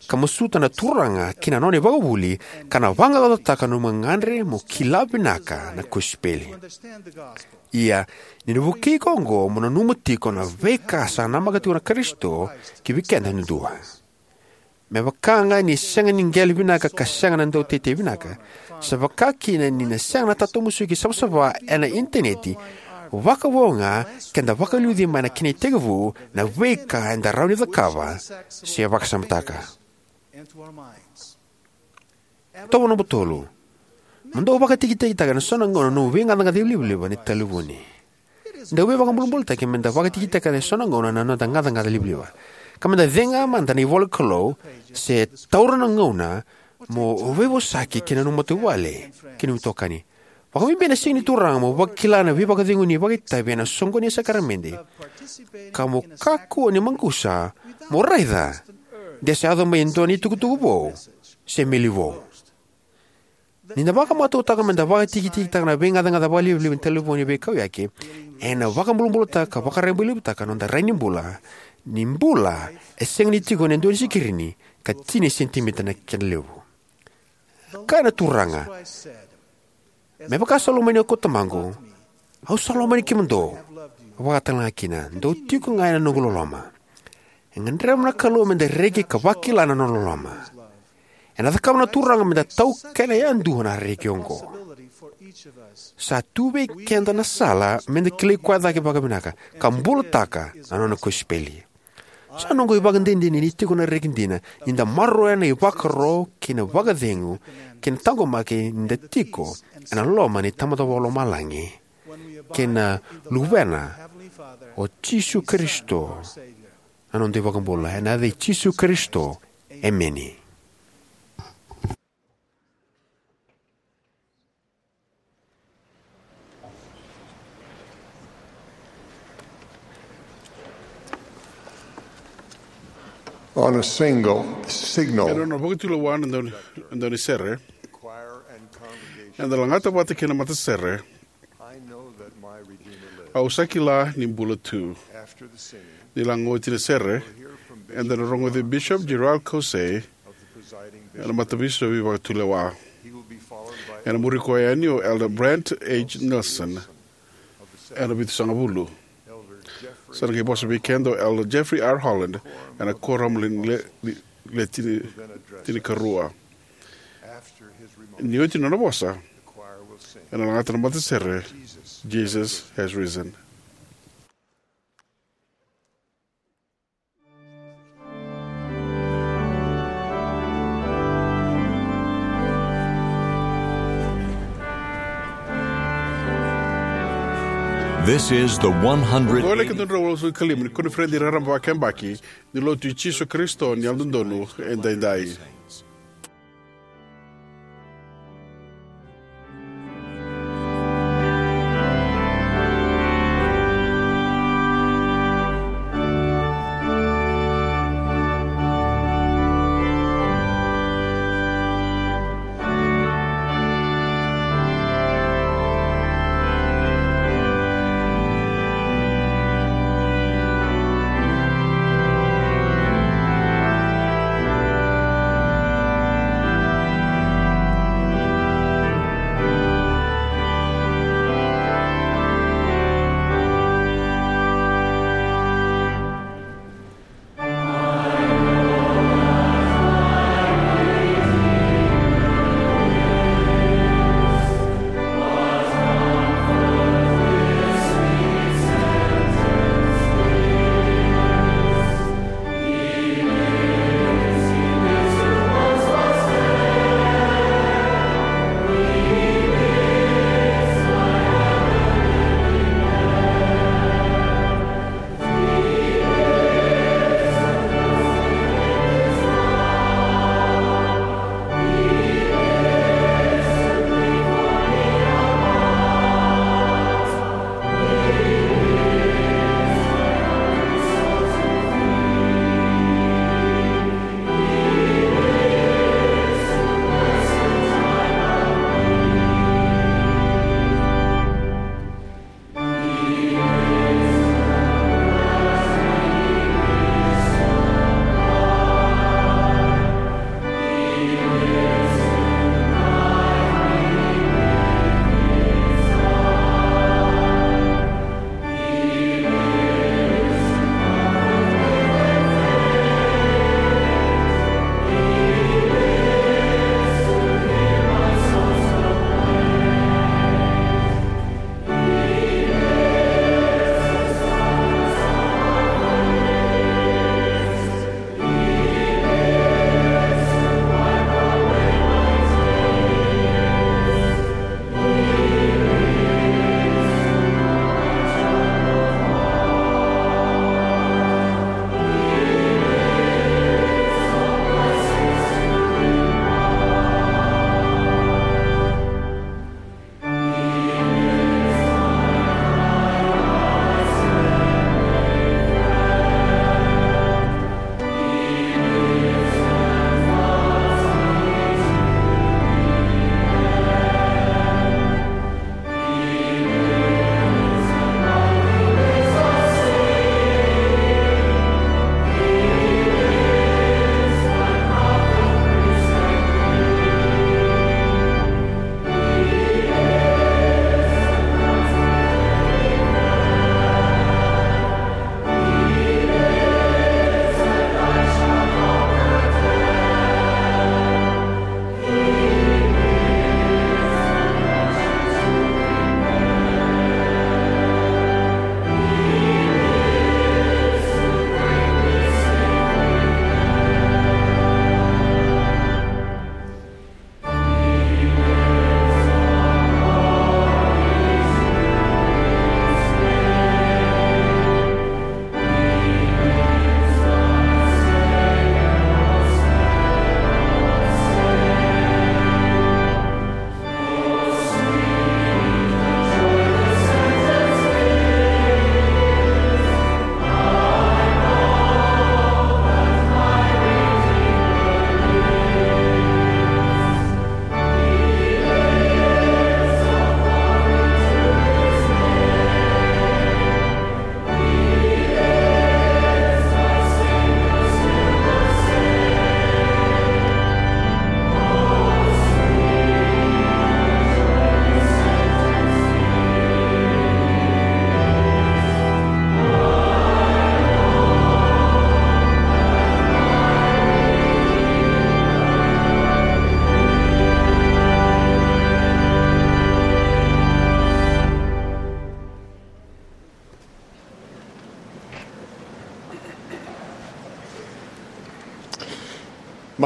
ka masuta na Turaga kei na nona ivakavuvuli, ka na vaqaqacotaka na nomu gagadre mo kila vinaka na kosipeli. Ia, ni na vukei iko oqo mo nanuma tiko na veika sa namaka tiko na Karisito ki vei keda yadua. Me vaka ga ni sega ni qele vinaka ka sega na dauteitei vinaka, sa vaka kina ni na sega na tatamusuki savasava ena Initaneti, vakavo ga ke da vakaliuci mai na kena itekivu na veika eda rawa ni cakava se vakasamataka. Tovo nomba tolu. Mo dau vakatikitikitaka ena so na gauna na nomu veigacagaca livaliva ni talevoni. Dau veivakabulabulataki me da vakatikitikitaka ena so na gauna na noda gacagaca livaliva, ka me da cega mada na ivola ni Kalou se taura na gauna mo veivosaki kei na nomu matavuvale kei na nomu itokani. Vakabibi ena siga ni Turaga mo vakila na veivakacegui ni vakaitavi ena soqoni ni sakaramede, ka mo kakua ni maqusa mo raica de sa yaco mai e dua na itukutuku vou se meli vou. Ni da vakamatautaka me da vakatikitikitaka na veigacagaca vakalivaliva ni talevoni veikauyaki, ena vakabulabulataka ka vakarabailevutaka na noda rai ni bula, ni bula e sega ni tiko ena dua na sikirini ka tini sentimitita na kena levu. Kaya na Turaga, me vaka sa lomani au ko Tamaqu, au sa lomani kemudou vakatalega kina. Dou tiko ga ena noqu loloma. E gadreva na Kalou me da reki ka vakila na nona loloma. Ena cakava na Turaga me da taukena yadua na reki oqo. Sa tu vei keda na sala me da kilai koya cake vakavinaka ka bulataka na nona kosipeli. Sa noqu ivakadinadina ni tiko na reki dina ni da maroroya na ivakaro kei na vakacegu kei na taqomaki ni da tiko ena loma ni Tamada Vakalomalagi kei na Luvena o Jisu Karisito, na noda iVakabula. Ena yaca i Jisu Karisito, emeni. On a single signal, ena nona vakatulewa na dauni, na daunisere, eda lagata vata kei na matasere, "Au sa kila ni bula tu." Ni lako oti na sere, eda na rogoci Bishop Gerald Caussé, ena mataveisau ni vakatulewa. Ena muri koya yani o Elder Brent H. Nelson, ena vitusagavulu. Sa na qai vosa vei keda o Elder Jeffrey R. Holland, ena Koram le, le, le, le tini, tinikarua. Ni oti na nona vosa, ena lagata na matasere, "Jesus has risen." This is the one hundred. Oqo na ika dua na drau walusagavulu ka lima ni koniferedi raraba vakayabaki ni Lotu i Jisu Karisito ni Yalododonu Edaidai.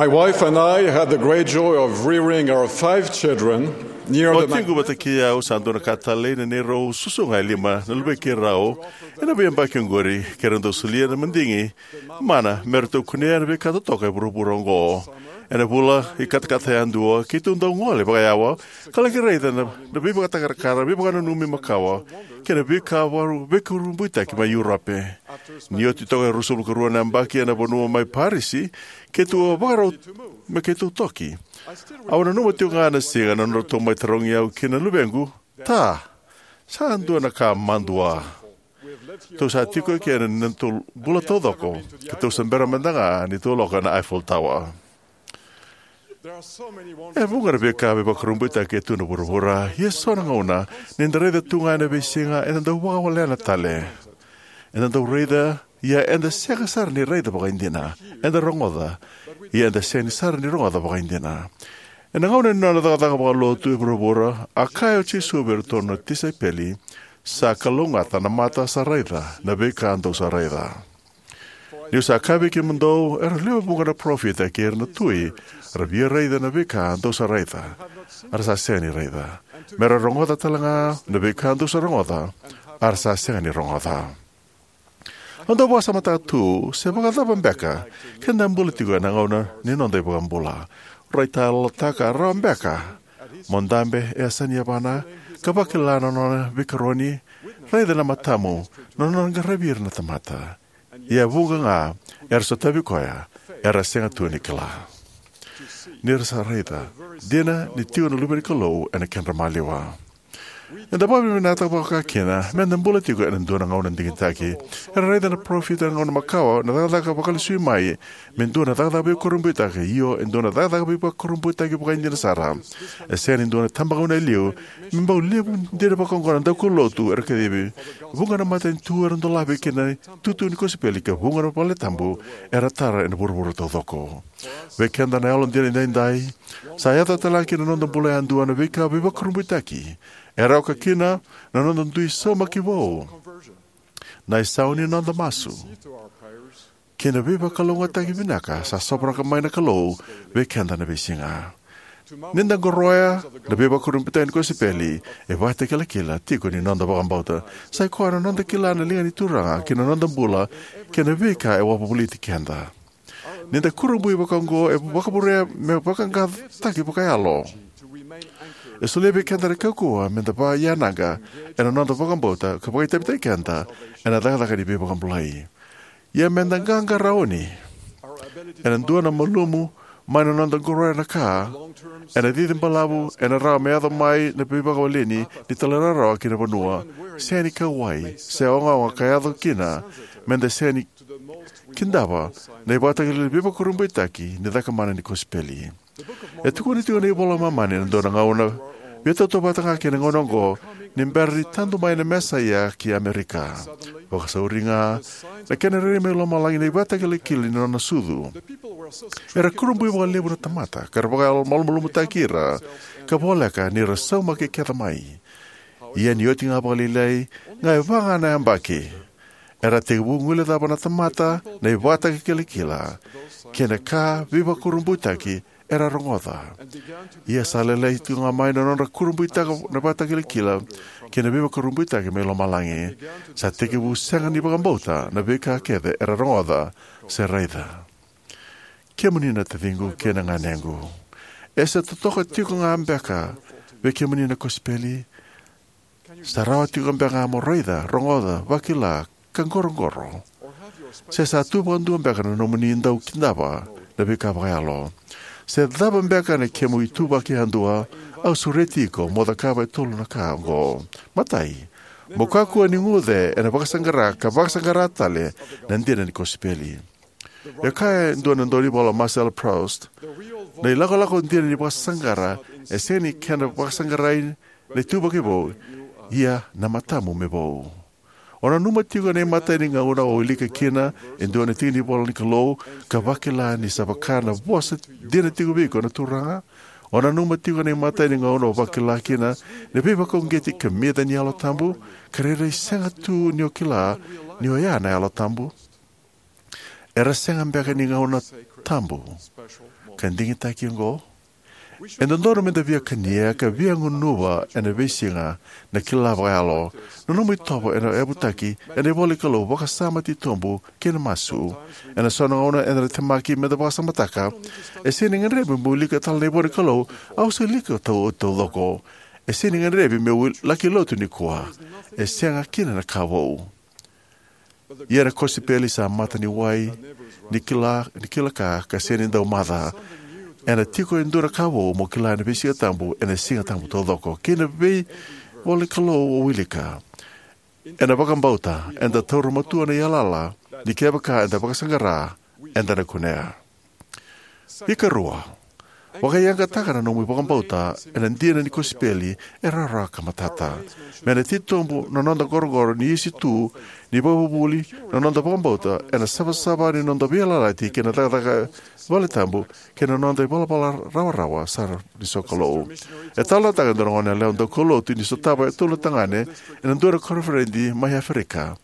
My wife and I had the great joy of rearing our five children near O the tiko vata kei au sa dua na ka talei na neirau susuga e lima na luvei keirau ena veiyabaki oqori, keirau dau solia na madigi mana me ratou kunea na veika totoka e vuravura oqo. Ena vula ikatakata yadua keitou dau gole vakayawa ka laki raica na, na veivakatakarakara, veivakananumi makawa kei na veika varu veikurabuitaki mai Europe. Ni oti toka e ruasagavulu ka rua na yabaki ena vanua mai Parisi, keitou a vakarau me keitou toki. Au nanuma tiko ga na siga na nodratou mai tarogi au kina na luvequ, "Ta, sa dua na ka madua. Tou sa tiko eke ena nodatou bula taucoko, keitou sa bera mada ga ni tou lako na Eiffel Tower." E vuqa na veika veivakurabuitaki e tu na vuravura, ia so na gauna ni da raica tu ga ena veisiga eda dau vakawalena tale. Eda dau raica, ia eda sega sara ni raica vakaidina. Eda rogoca, ia eda sega ni sara ni rogoca vakaidina. Ena gauna ni nona cakacaka vakalotu e vuravura, a kaya o Jisu vei iratou na tisaipeli, "Sa kalougata na mata sa raica na veika dou sa raica. Niu sa kaya vei kemudou, era lewe vuqa na parofita kei ira na tui, ra via raica na veika dou sa raica, a ra sa sega ni raica. Me ra rogoca tale ga na veika dou sa rogoca, a ra sa sega ni rogoca." Au dau vakasamataka tu se vakacava beka ke da bula tiko ena gauna ni noda iVakabula. Raitayalotaka rawa beka mo dabe e yasa ni yavana ka vakila na nona veikaroni, raica na matamu na nona qaravi ira na tamata. Ia vuqa ga era sotavi koya era sega tu ni kila ni ra sa raica dina ni tiko na Luve ni Kalou ena kedra maliwa. Eda vakavinavinakataka vakakina me da bula tiko ena dua na gauna digitaki. Era raica na parofita ena gauna makawa na cakacaka vakalesui mai me dua na cakacaka veivakurabuitaki, io, e dua na cakacaka veivakurabuitaki vakaidina sara. E sega ni dua na tabagauna e liu me bau levu dina vakaoqo na daukaulotu era kacivi. Vuqa na matanitu era dolavi kina itutu ni kosipeli ka vuqa na valetabu era tara ena vuravura taucoko. Vei keda na yalodina edaidai, sa yaco tale ga ki na noda bula yadua na veika veivakurabuitaki. Era oka kina na noda dui saumaki vou, na isau ni noda masu, kei na veivakalougatataki vinaka sa sovaraka mai na Kalou vei keda na veisiga. Ni da qoroya na veivakurabuitaki ni kosipeli, e vakatakilakila tiko ni noda vakabauta. Sa i koya na noda kila na liga ni Turaga kei na noda bula kei na veika e wavoliti keda. Ni da kurabui vakaoqo e vakavurea me vaqaqacotaki vakayalo. E solia vei keda na kaukauwa me da vakayanaqa ena noda vakabauta ka vakaitavitaki keda ena cakacaka ni veivakabulai. Ia me da qaqarauni ena dua na malumu mai na noda qoroya na ka ena cici balavu ena rawa me yaco mai na veivakawaleni ni talairawarawa ki na vanua, sega ni kauwai se ogaoga ka yaco kina me da sega ni kidava na ivakatakilakila veivakurabuitaki ni cakamana ni kosipeli. E tukuna tiko na iVola i Momani ena dua na gauna, via tautauvata ga kei na gauna oqo, ni bera ni tadu mai na Mesaia ki Amerika. Vakasauri ga, na kena rairai mai lomalagi na ivakatakilakila ni nona sucu. Era kurabui vakalevu na tamata ka ra vakamalumalumutaki ira, ka voleka ni ra saumaki kece mai. Ia ni oti ga vakalailai ga e va ga na yabaki, era tekivu guilecava na tamata na ivakatakilakila kei na ka veivakurabuitaki era rogoca. Ia sa lailai tu ga mai na nodra kurabuitaka na ivakatakilakila kei na veivakurabuitaki mai lomalagi. Sa tekivu sega ni vakabauta na veika kece era rogoca se raica. Kemuni na taciqu kei na ganequ, e se totoka tiko ga beka vei kemuni na kosipeli? Sa rawa tiko beka ga mo raica, rogoca, vakila, ka qoroqoro? Se sa tu vakadua beka na nomuni dau kidava na veika vakayalo? Se cava beka na kemu ituvaki yadua, au sureti iko mo cakava e tolu na ka oqo. Matai, mo kakua ni guce ena vakasaqara ka vakasaqara tale na dina ni kosipeli. E kaya e dua na daunivola o Marcel Proust, na ilakolako dina ni vakasaqara e sega ni kena vakasaqarai na ituvaki vou, ia na matamu me vou. O nanuma tiko na imatai ni gauna o wilika kina e dua na tiki ni ivola ni Kalou ka vakila ni sa vaka na vosa dina tiko vei iko na Turaga? O nanuma tiko na imatai ni gauna o vakila kina na veivakauqeti kamica ni Yalo Tabu, ka rairai sega tu ni o kila ni oya na Yalo Tabu? Era sega beka ni gauna tabu ka digitaki oqo? E dodonu meda via kania ka via gunuva ena veisiga na kila vakayalo, na nomu itovo ena yavutaki ena ivola ni Kalou, vakasama titobu kei na masu. Ena so na gauna eda na temaki meda vakasamataka, e sega ni gadrevi meu wilika tale na ivola ni Kalou, au sa wilika tau taucoko. E sega ni gadrevi meu laki lotu nikua. E sega kina na ka vou. Ia na kosipeli sa mata ni wai ni kila, ni kila ka, ka sega ni dau maca. Ena tiko e dua na ka vou mo kila ena veisiga tabu, ena siga tabu taucoko. Kei na veivola ni Kalou o wilika. Ena vakabauta, eda taura matua na yalayala ni kevaka eda vakasaqara, eda na kunea. Ikarua, vakayagataka na nomu vakabauta ena dina ni kosipeli e rawarawa ka matata. Me na titobu na noda qoroqoro ni isi tu ni vakavuvuli na noda vakabauta ena savasava ni noda veiyalayalati kei na cakacaka valetabu kei na noda ivalavala rawarawa sara ni sokalou. E talanoataka e dua na goneyalewa daukaulotu ni sotava e tolu na tagane ena dua na koniferedi mai Aferika.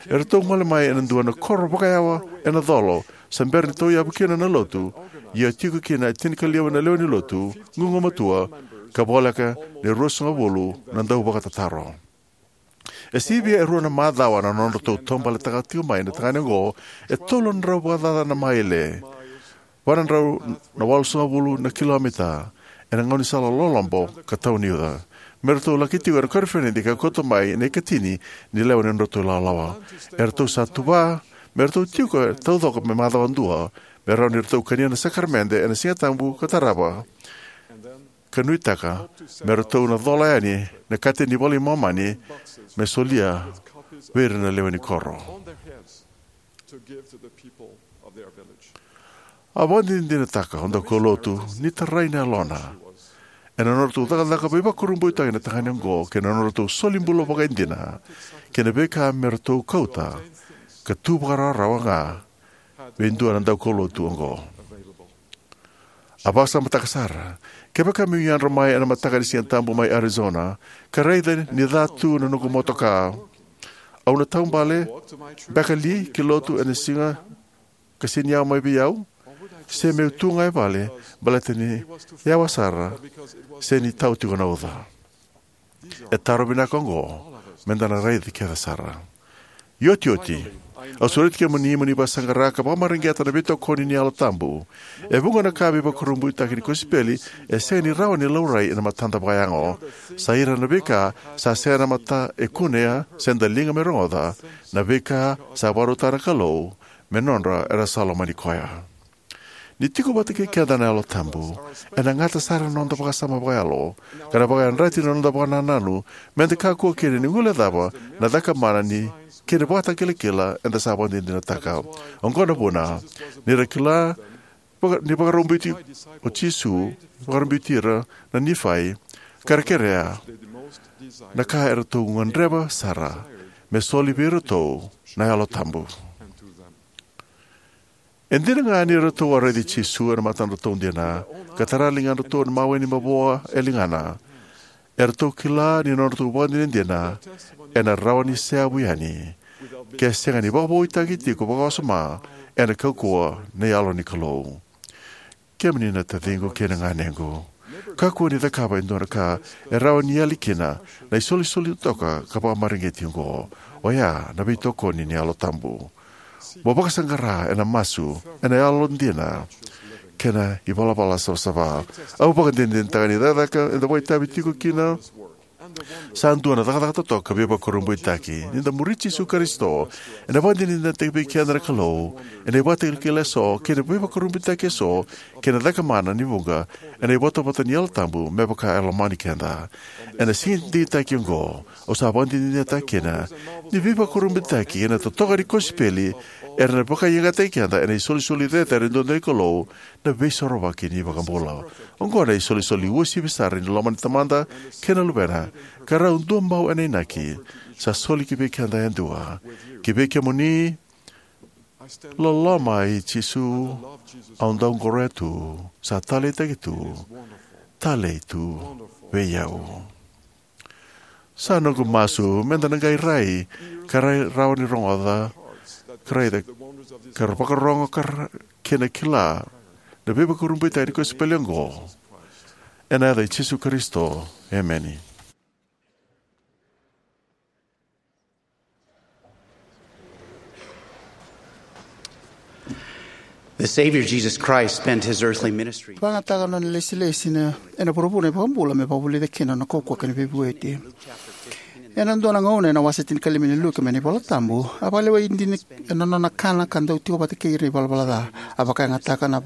Eratou gole mai ena dua na koro vakayawa ena colo, sa bera ni tauyavu kina na lotu, ia tiko kina e tinikalima na lewe ni lotu gugumatua, ka voleka ni ruasagavulu na dauvakatataro. E sivia e rua na macawa na nodratou taubaletaka tiko mai na tagane oqo e tolu na drau vakacaca na maile, va na drau na walusagavulu na kilomita, ena gaunisala lolobo ka tau ni uca. Me ratou laki tiko ena koniferedi ka kauta mai na ikatini ni lewe ni nodratou ilawalawa. Eratou sa tuva me ratou tiko e taucoko me macawa dua, me rawa ni ratou kania na sakaramede ena Siga Tabu ka tarava, ka nuitaka me ratou na cola yani na kete ni iVola i Momani me solia vei ira na lewe ni koro. A vakadinadinataka o daukaulotu ni tarai na yalona ena nodratou cakacaka veivakurabuitaki na tagane oqo kei na nodratou soli bula vakaidina kei na veika me ratou kauta ka tu vakarawarawa ga vei dua na daukaulotu oqo. A vakasamataka sara, kevaka meu yadra mai ena mataka ni Siga Tabu mai Arizona ka raica ni ca tu na noqu motoka, au na taubale beka li ki lotu ena siga ka sega ni yawa mai vei au? Se meu tu ga e vale baleta ni yawa sara se ni tau tiko na uca? E taro vinaka oqo meda na raica kece sara. Iotioti, au sureti kemuni mo ni vakasaqara ka vakamareqeta na veitokoni ni Yalo Tabu. E vuqa na ka veivakurabuitaki ni kosipeli e sega ni rawa ni laurai ena matada vakayago. Sa ira na veika sa sega na mata e kunea se daliga me rogoca, na veika sa vakarautaka na Kalou me nodra era sa lomani koya. Ni tiko vata kei keda na Yalo Tabu, ena gata sara na noda vakasama vakayalo ka na vakayadrati na noda vakanananu meda kakua kina ni guilecava na cakamana ni kena vakatakilakila eda sa vakadinadinataka. Oqo na vuna ni ra kila vaka, ni vakarobiti o Jisu, vakarobiti ira na Nifai, ka ra kerea na ka eratou gadreva sara me soli vei iratou na Yalo Tabu. E dina ga ni ratou a raici Jisu ena matadratou dina ka tara e ligadratou na mawe ni mavoa e ligana, eratou kila ni nodratou vakadinadina ena rawa ni seavu yani ke sega ni vakavoutaki tiko vakawasoma ena kaukauwa ni Yalo ni Kalou. Kemuni na taciqu kei na ganequ, kakua ni cakava e dua na ka e rawa ni yali kina na isolisoli totoka ka vakamareqeti oqo, oya na veitokoni ni Yalo Tabu. Mo vakasaqara ena masu, ena yalodina, kei na ivalavala savasava. Au vakadinadinataka ni cakacaka eda vakaitavi tiko kina sa dua na cakacaka totoka veivakurabuitaki. Ni da muri Jisu Karisito, ena vakadinadinataki vei keda na Kalou ena ivakatakila eso kei na veivakurabuitaki eso kei na cakamana ni vuqa ena ivotavota ni Yalo Tabu me vaka e lomani keda. Ena siga digitaki oqo, au sa vakadinadinataka kina ni veivakurabuitaki ena totoka ni kosipeli era na vakayagataki keda ena isolisoli cecere duadua ni Kalou, na Veisorovaki ni iVakabula. Oqo na isolisoli uasivi sara ni loma ni Tamada kei na Luvena, ka rau duabau ena inaki sa soli ki vei keda yadua. Ki vei kemuni, loloma i Jisu, au dau qoroya tu, sa taleitaki tu, talei tu vei au. Sa noqu masu meda na qai rai ka rai rawa ni rogoca ka raica ka ra vakarogo ka ra kena kila na veivakurabuitaki ni kosipeli oqo. Ena yaca i Jisu Karisito, emeni. The Savior Jesus Christ spent his earthly ministry. Vakayagataka na nona ilesilesi ena vuravura na iVakabula me vakavulica kina na kaukauwa kei na veivueti. Ena dua na gauna ena wase tinikalima ni Luke mai na iVola Tabu, a vakalewai dina ena nona kana ka dau tiko vata kei ira na ivalavala ca. A vakayagataka na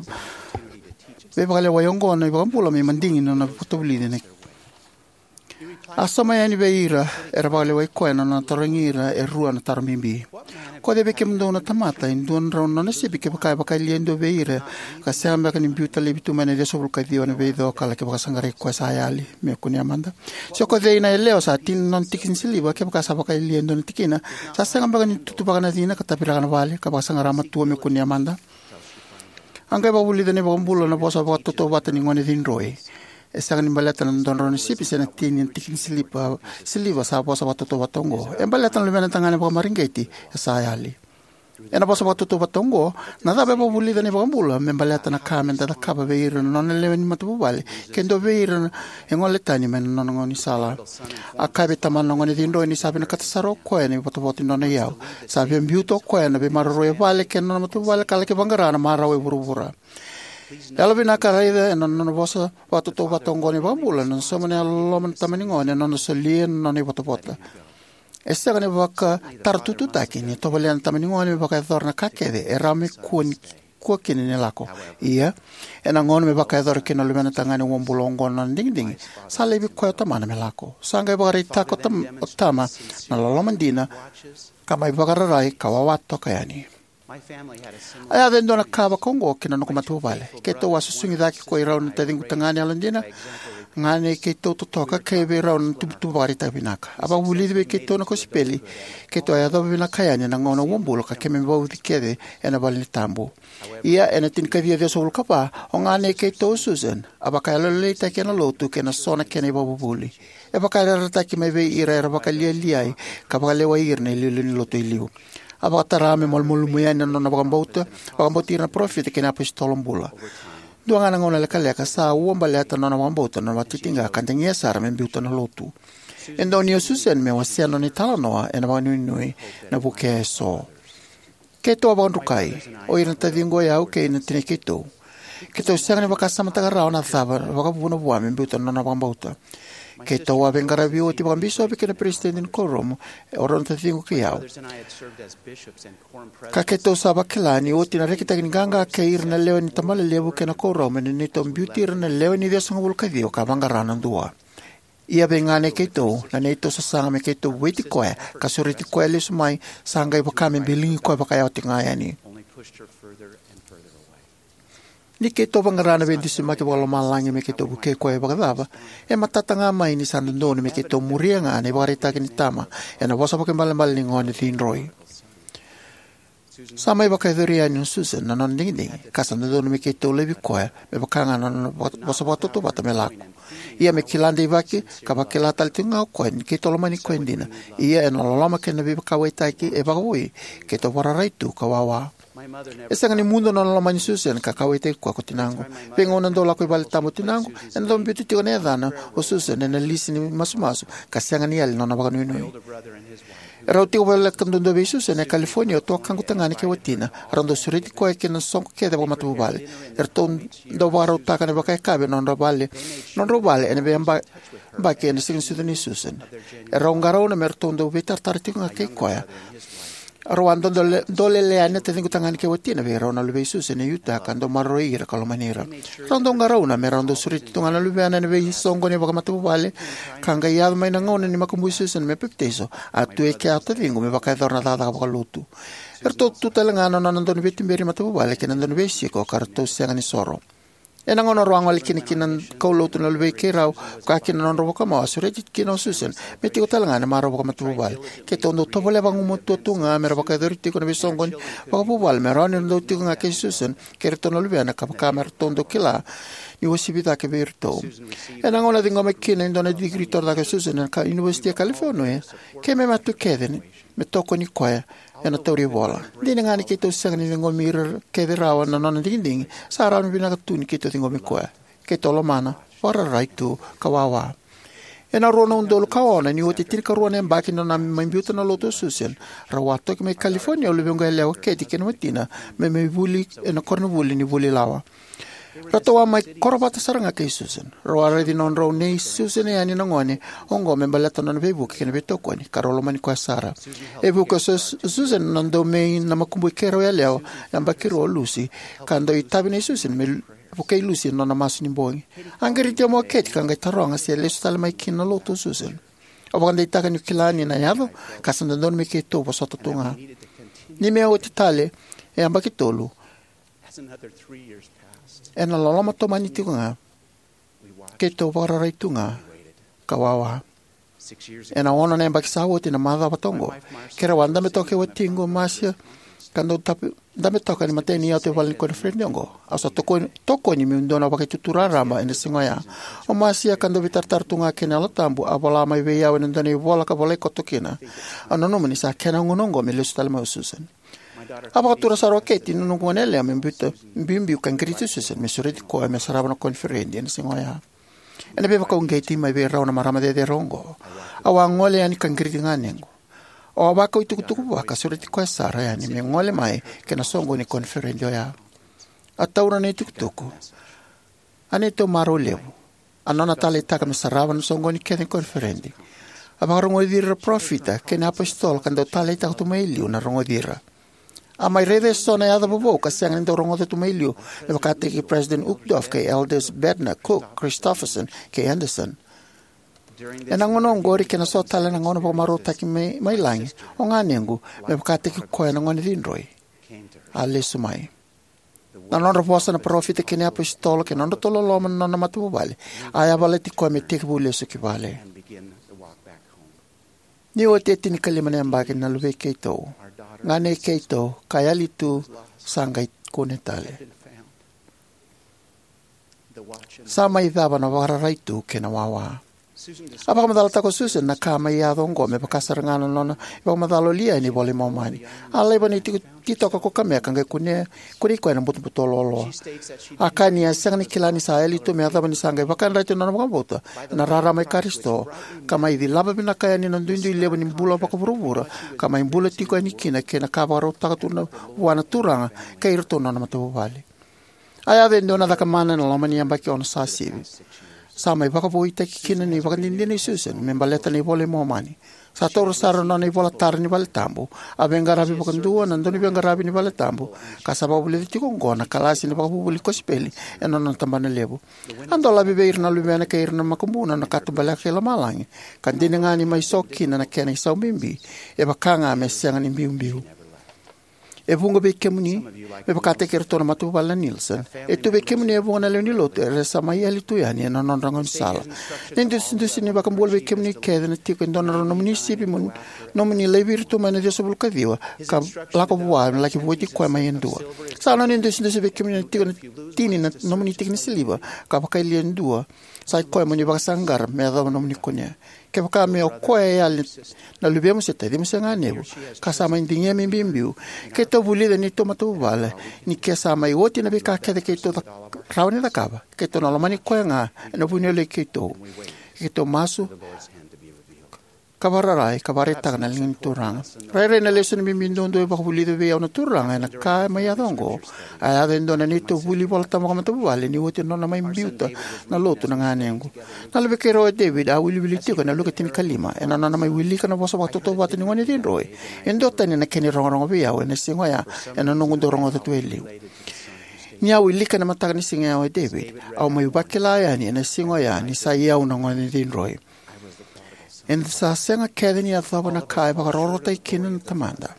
veivakalewai oqo na iVakabula me madigi na nona vakavulici na A sauma yani vei ira era vakalewai koya na nona tarogi ira e rua na taro bibi. Ko cei vei kemudou na tamata e dua na drau na nona sipi kevaka e vakayalia e dua vei ira, ka sega beka ni biuta laivi tu mai na ciwasagavulu ka ciwa na veico ka laki vakasaqarai koya sa yali? Me kunea mada. Se ko cei na yalewa sa tini na nona tiki ni siliva, kevaka sa vakayalia e dua na tikina, sa sega beka ni tutuvaka na cina ka taviraka na vale ka vakasaqara matua me kunea mada? A qai vakavulica na iVakabula na vosa vakatautauvata ni gone cidroi. E sega ni baleta na dua na drau na sipi se na tini na tiki ni siliva, siliva sa vosa vakatautauvata oqo. E baleta na luvena tagane vakamareqeti e sa yali. Ena vosa vakatautauvata oqo, na cava e vakavulica na iVakabula me baleta na ka me da cakava vei ira na nona lewe ni matavuvale, ke dua vei ira e gole tani mai na nona gaunisala? A kaya vei tamana na gone cidroi ni sa vinakata sara o koya na ivotavota ni nona iyau. Sa via biuta o koya na veimaroroi e vale kei na nona matavuvale ka laki vaqara na marau e vuravura. Yalovinaka, raica ena nona vosa vakatautauvata oqo na iVakabula na sauma ni yalololoma na tama ni gone ena nona solia na nona ivotavota. E sega ni vakataratututaki ni tovolea na tama ni gone me vakayacora na ka kece e rawa me kua ni, kua kina ni lako. Ia, ena gauna me vakayacora kina na luvena tagane uabula oqo na nona digidigi, sa laivi koya o tamana me lako. Sa qai vakaraitaka o tam-, o tama na loloma dina, ka mai vakararai ka wawa toka yani. A yaco e dua na ka vakaoqo ki na noqu matavuvale. Keitou a susugi cake ko i rau na taciqu tagane yalodina, gane keitou totoka, kei vei rau na tubutubu vakaraitaka vinaka. A vakavulici vei keitou na kosipeli. Keitou a yacova vinaka yani ena gauna uabula ka keimami vauci kece ena vale ni tabu. Ia, ena tinikaciwa ciwasagavulu ka va, o gane keitou o Susan a vakayalolailaitaki ena lotu kei na so na kena ivakavuvuli. E vakayarayarataki mai vei ira era vakalialiai ka vakalewai ira na iliuliu ni lotu e liu. A vakatara me malumalumu yani na nona vakabauta, vakabauti ira na parofita kei na apositolo bula. Dua ga na gauna lekaleka sa ua baleta na nona vakabauta na nona vakatitiqa ka dagia sara me biuta na lotu. E donuya o Susan me wasea na nona italanoa ena vakanuinui na vukea eso. Keitou a vakadrukai, o ira na taciqu o yau kei na tinai keitou. Keitou sega ni vakasamataka rawa na cava na vakavuna vua me biuta na nona vakabauta. Keitou a veiqaravi oti vakabisopi kei na peresitedi ni kuoramu, o rau na taciqu kei au. Ka keitou sa vakila ni oti na rekitaki ni qaqa kei ira na lewe ni tabalelevu kei na kuoramu ena neitou biuti ira na lewe ni ciwasagavulu ka ciwa ka vaqara na dua. Ia vei gane keitou, na neitou sasaga me keitou vueti koya ka sureti koya lesu mai, sa qai vaka me biligi koya vakayawa tiko ga yani. Ni keitou vaqara na veidusimaki vakalomalagi me keitou vukei koya vakacava, e matata ga mai ni sa dodonu me keitou muria ga na ivakaraitaki ni tama ena vosa vakaibalebale ni gone cidroi. Sa mai vakayacori yani o Susan na nona digidigi, ka sa dodonu me keitou laivi koya me vaka ga na nona va-, vosa vakatautauvata me lako. Ia me kila deivaki ka vakila tale tiko ga o koya ni keitou lomani koya dina. Ia ena loloma kei na veivakauwaitaki e vakavoui, keitou vakararai tu ka wawa. E sega ni mudu na nona lomani Susan ka kauwaitaki koya ko tinaqu. Veigauna dau lako i valetabu o tinaqu, ena dau biuti tiko na yacana o Susan ena lisi ni masumasu, ka sega ni yali na nona vakanuinui. Erau tiko voleka duadua vei Susan e California o tukaqu tagane kei watina. Erau dau sureti koya kei na soqo kece vakamatavuvale. Eratou dau vakarautaka na vakayakavi ena nodra vale, nodrau vale ena veiyabaki ena Siganisucu nei Susan. Erau qarauna me ratou dau veitaratara tiko ga kei koya. Erau a dau dole-, dolele yani na taciqu tagane kei watina vei rau na luvei Susan e Utah ka dau maroroi ira ka lomani ira. Erau dau qarauna me rau dau sureti tu ga na luvena ena veisoqoni vakamatavuvale, ka qai yaco mai na gauna ni makubui Susan me papitaiso, a tu e kea o taciqu me vakayacora na cakacaka vakalotu. Eratou tu tale ga na nona dau ni veituberi matavuvale kei na dau ni veisiko ka ratou sega ni soro. Ena gauna rau a gole kina ki na kaulotu na luvei keirau, vaka kina na nodrau vakamau, a sureti kina o Susan me tiko tale ga ena marau vakamatavuvale. Keitou dau tovolea vagumatua tu ga me ra vakayacori tiko na veisoqoni vakavuvale me rawa ni ra dau tiko ga kei Susan kei iratou na luvena, ka vaka me ratou dau kila ni uasivi cake vei iratou. Ena gauna a ciqoma kina e dua na digiri torocake o Susan ena ka University e California, keimami a tu kece ni me tokoni koya. ena tauri ivola. Dina ga ni keitou sega ni ciqomi ira kece rawa na nona digidigi, sa rawa ni vinaka tu ni keitou ciqomi koya. Keitou lomana, vakararai tu, ka wawa. Ena rua na udolu ka ono, ni oti e tinikarua na yabaki ni nona mai biuta na lotu o Susan, rau a toki mai California o luvequ yalewa o Kathy kei na watina me mai vuli ena koronivuli ni vuli lawa. Ratou a mai koro vata sara ga kei Susan. Rau a raici nodrau nei Susan yani na gone oqo me baleta nona veivuke kei na veitokoni, ka rau lomani koya sara. E vuki o Sus-, Susan na dau mai na makubui keirau yalewa, yabaki rua o Lucy, ka dau itavi nei Susan me vukei Lucy ena nona masu ni bogi. A qiriti au mai o Kathy ka qai taroga se lesu tale mai kina na lotu o Susan. Au vakadeitaka niu kila ni na yaco, ka sa dodonu me keitou vosota tu ga. Ni me oti tale e yabaki tolu, ena loloma tomani tiko ga, keitou vakararai tu ga, ka wawa. Ena ono na yabaki sa oti na macawa vata oqo, keirau a dabe toka kei watiqu o Marcia, ka dau tapi, dabe toka ena imatai ni yatu e vale ni koniferedi oqo. Au sa tokoni, tokoni meu dua na vakaitutu raraba ena siga oya. O Marcia ka dau veitaratara tu ga kei na Yalo Tabu, a vola mai vei au ena dua na ivola ka volai koto kina. Au nanuma ni sa kena gauna oqo me lesu tale mai o Susan. A vakatura sara o Kathy, na noqu gone yalewa, me biuta, biubiu ka qiriti Susan me sureti koya me sarava na koniferedi ena siga oya. Ena veivakauqeti mai vei rau na marama cecere oqo, au a gole yani ka qiriti ganequ. Au a vakau itukutuku vua ka sureti koya sara yani me gole mai ki na soqoni ni koniferedi oya. A taura na itukutuku, a neitou marau levu. A nona taleitaka me sarava na soqoni kece ni koniferedi. A vakarogoci ira na parofita kei na iapositolo ka dau taleitaka tu mai liu na rogoci ira. A mai raica eso na yaca vovou ka sega ni dau rogoca tu mai liu, me vakataki President Uchtdorf kei Elders Bednar, Cook, Christofferson kei Andersen. Ena gauna oqori kei na so tale na gauna vakamarautaki mai, mai lagi, o ganequ, me vakataki koya na gone cidroi, a lesu mai. Na nodra vosa na parofita kei na iapositolo kei na nodratou loloma na nona matavuvale a yavalati koya me tekivu lesu ki vale. Ni oti e tinikalima na yabaki na luvei keitou, ganei keitou ka yali tu, sa qai kune tale. Sa mai cava na vakararai tu kei na wawa. A vakamacalataka o Susan na ka mai yaco oqo me vaka sara ga na nona ivakamacala o Leanne ena iVola i Momani. A laiva na itiko, ititoko ko Kamea ka qai kunei, kunei koya ena butobuto loaloa. A kaya ni a sega ni kila ni sa yali tu me yacova ni sa qai vakayadrati na nona vakabauta ena rarama i Karisito, ka mai cilava vinaka yani na duidui levu ni bula vakavuravura, ka mai bula tiko yani kina kei na ka vakarautaka tu na, vua na Turaga kei iratou na nona matavuvale. A yaco e dua na cakamana ena loma ni yabaki ono sa sivi. Sa mai vakavoutaki kina na ivakadinadina i Susan me baleta na iVola i Momani. Sa taura sara na nona ivola tara ni valetabu. A veiqaravi vakadua ena dua na veiqaravi ni valetabu, ka sa vakavulica tiko oqo na kalasi ni vakavuvuli kosipeli ena nona tabana levu. A dolavi vei ira na luvena kei ira na makubuna na katubaleka kei lomalagi, ka dina ga ni mai so kina na kena isau bibi, e vaka ga me sega ni biubiu. E vuqa vei kemuni, me vakataki iratou na matavuvale na Nielsen, e tu vei kemuni e vuqa na lewe ni lotu era sa mai yali tu yani ena nodra gaunisala. Na idusidusi ni iVakabula vei kemuni kece na tiko e dua na nomuni sipi mo nomuni laivi ira tu mai na ciwasagavulu ka ciwa ka lako vua me laki vueti koya mai e dua. Sa nona idusidusi vei kemuni na tiko na tini na nomuni tiki ni siliva ka vakayalia e dua, sa i koya mo ni vakasaqara me yacova na nomuni kunea. Kevaka me o koya e yali na luvemu se tacimu se ganevu ka sa mai digia me biubiu, keitou vulica na neitou matavuvale ni ke sa mai oti na veika kece keitou ca-, rawa ni cakava, keitou na lomani koya ga ena vuku ni yaloi keitou. Keitou masu ka vakararai ka vakaraitaka na liga ni Turaga. Rairai na lesoni bibi duadua e vakavulica vei au na Turaga ena ka mai yaco oqo. A yaco e dua na neitou vuli iVolatabu vakamatavuvale ni oti na nona mai biuta na lotu na ganequ. Na luvei keirau o David a wiliwili tiko ena Luke tinikalima ena nona mai wilika na vosa vakatautauvata ni gone cidroi. E duatani na kena irogorogo vei au ena siga oya ena noqu dau rogoca tu e liu. Ni a wilika ena mataka ni siga oya o David, au mai vakila yani ena siga oya ni sa i au na gone cidroi. Eda sa sega kece ni yacova na ka e vakarokorokotaki kina na Tamada.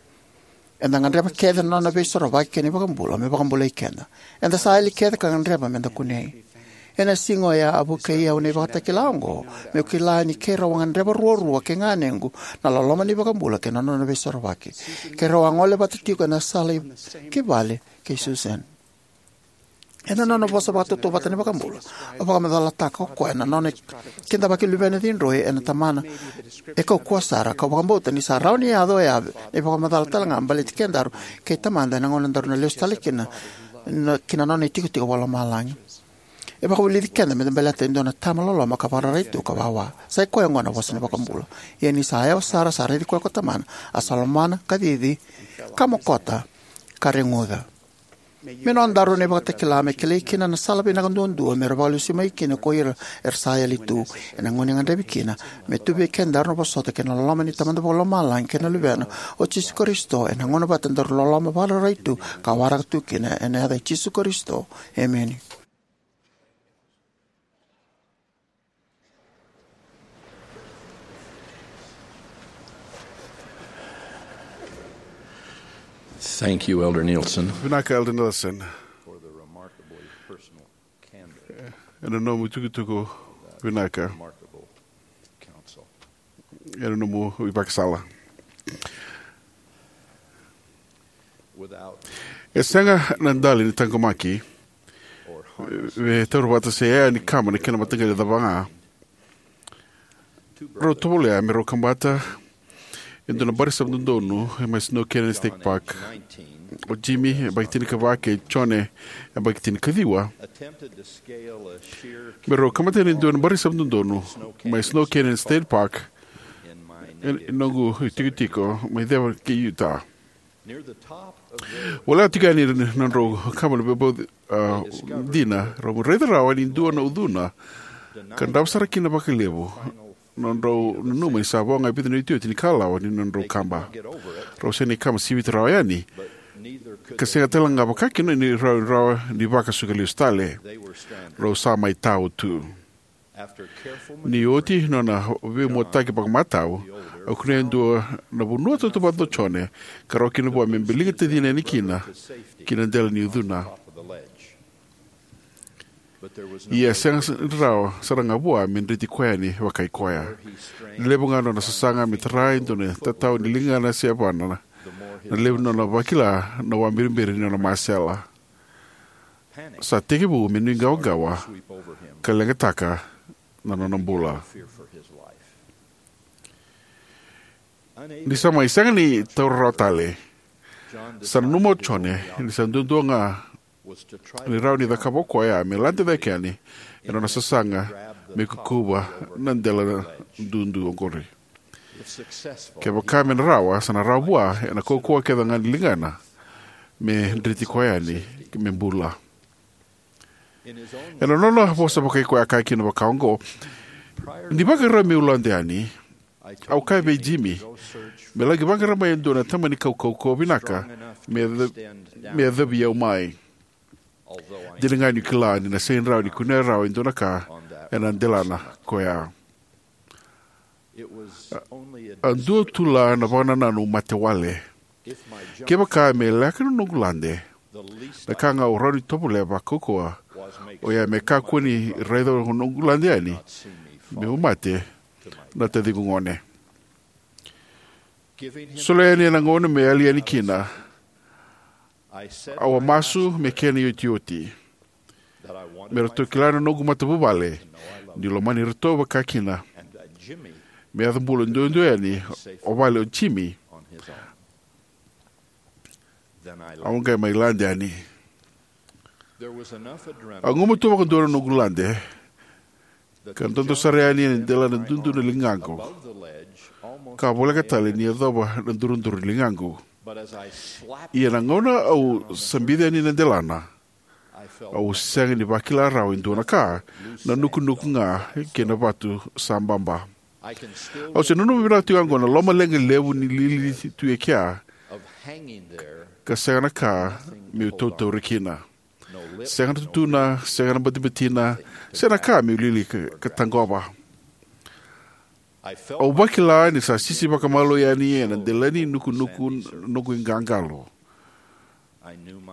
Eda gadreva kece na nona veisorovaki kei na iVakabula me vakabulai keda. Eda sa yali kece ka gadreva meda kunei. Ena siga oya a vukei au na ivakatakila oqo, meu kila ni keirau a gadreva ruarua kei ganequ na loloma ni iVakabula kei na nona veisorovaki. Keirau a gole vata tiko ena sala i, ki vale kei Susan. Ena nona vosa vakatautauvata na iVakabula, a vakamacalataka o koya na nona kidavaki luvena cidroi ena tamana e kaukauwa sara, kau vakabauta ni sa rawa ni yaco oya na ivakamacala talega baleti kedaru kei Tamada ena gauna daru na lesu tale kina na, ki na nona itikotiko vakalomalagi. E vakavulici keda meda baleta e dua na tama loloma ka vakararai tu ka wawa. Sa i koya oqo na vosa ni iVakabula. Ia ni sa yawa sara, sa raici koya ko Tamana, a sa lomana, ka cici, ka mokota, ka reguca. Me nodaru na ivakatakila me kilai kina na sala vinaka duadua me ra vakalesui mai kina ko ira era sa yali tu, ena gauna e gadrevi kina, me tu vei kedaru na vosota kei na loloma ni Tamada Vakalomalagi kei na Luvena, o Jisu Karisito, ena gauna vata daru loloma vakararai tu ka waraka tu kina, ena yaca i Jisu Karisito. Emeni. Thank you, Elder Nielsen. Vinaka, Elder Nielsen. Ena nomu tukutuku vinaka. Ena nomu ivakasala. E sega na dali ni taqomaki, e taura vata se yaya ni kama na kena mataqali cava ga. Rau tovolea me rau kabata e dua na bari sa dodonu e mai Snow Canyon State Park. O Jimmy e yabaki tinikava kei Jone e yabaki tinikaciwa. Me rau kabata e dua na bari sa dodonu mai Snow Canyon State Park, e noqu itikotiko mai ceva kei Utah. Voleka tiko yani na nodrau kama na veibauti, a, dina, rau raica rawa ni dua na ucuna ka drava sara kina vakalevu. Nodrau nanuma ni sa vo ga e vica na iotioti ni kalawa ni nodrau kaba. Rau sega ni kama sivita rawa yani, ka sega tale ga vakakina ni rau rawa ni vakasuka lesu tale. Rau sa mai tau tu. Ni oti nona veimuataki vakamatau, a kunea e dua na vanua tautauvata o Jone ka rawa kina vua me biliga tacina yani kina ki na dela ni ucuna. Ia e sega rawa sara ga vua me dreti koya yani vakai koya. Ni levu ga nona sasaga me tara e dua na tatau ni ligana se yavana, na levu nona vakila na wabiribiri ni nona masela. Sa tekivu me nuiqawaqawa ka leqataka na nona bula. Ni sa mai sega ni taura rawa tale, sa nanuma o Jone ni sa duadua ga ni rawa ni cakava o koya me lade cake yani ena nona sasaga me kukuva na dela dudu oqori. Kevaka me na rawa, sa na rawa vua ena kaukauwa kece ga ni ligana me dreti koya yani me bula. Ena nona vosa vakai koya, a kaya kina vaka oqo: "Ni vakarau meu lade yani, au kaya vei Jimmy me laki vaqara mai e dua na tamani kaukauwa vinaka me yaca-, me yacovi au mai. Dina ga niu kila ni na sega ni rawa ni kunea rawa e dua na ka ena delana koya." A dua tu la na vakanananu mate wale. Kevaka me leka na noqu lade, na ka ga au rawa ni tovolea vakaukauwa oya me kakua ni raica na noqu lade yani meu mate na taciqu gone. Solia yani ena gauna me yali yani kina, au a masu me kena iotioti, me ratou kila na noqu matavuvale niu lomani iratou vakakina, me yaco bula duadua yani o vale o Jimmy. Au qai mai lade yani. A gumatua vakadua na noqu lade, ka dodo sara yani ena dela na dudu na ligaqu, ka voleka tale ni yacova na duradura ni ligaqu. Ia na gauna au sabici yani na delana, au sega ni vakila rawa e dua na ka, na nukunuku ga kei na vatu sa baba. Au se nanuma vinaka tiko ga oqo na lomaleqa levu ni lili tu e kea, ka sega na ka meu tautauri kina. Sega na tutuna, sega na batibatina, sega na ka meu lili ka, ka taqova. Au vakila ni sa sisi vakamalua yani ena dela ni nukunuku noqu iqaqalo.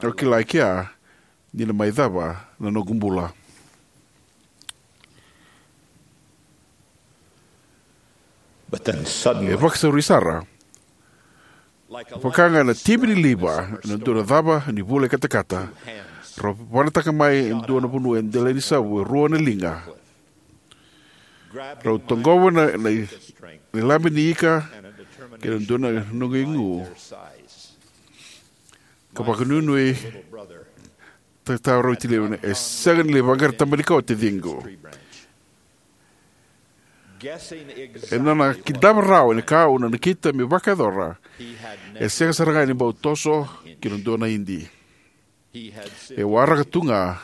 Au kila e kea ni na mai cava na noqu bula. But then suddenly, e vakasauri sara. Vaka ga na tivi ni liva ena dua na cava ni vula i katakata, Rau vanataka mai e dua na vanua e dela ni savu e rua na liga. Rau toqova na, na, na ilabe ni ika kei na dua na noqu igu ka vakanuinui. Tata rau tilivina, e sega ni lai vaqara taba ni kawa taciqu. E nona kidava rawa ni ka au na nakita me vakayacora. E sega sara ga ni bau toso ki na dua na idi. E waraka tu ga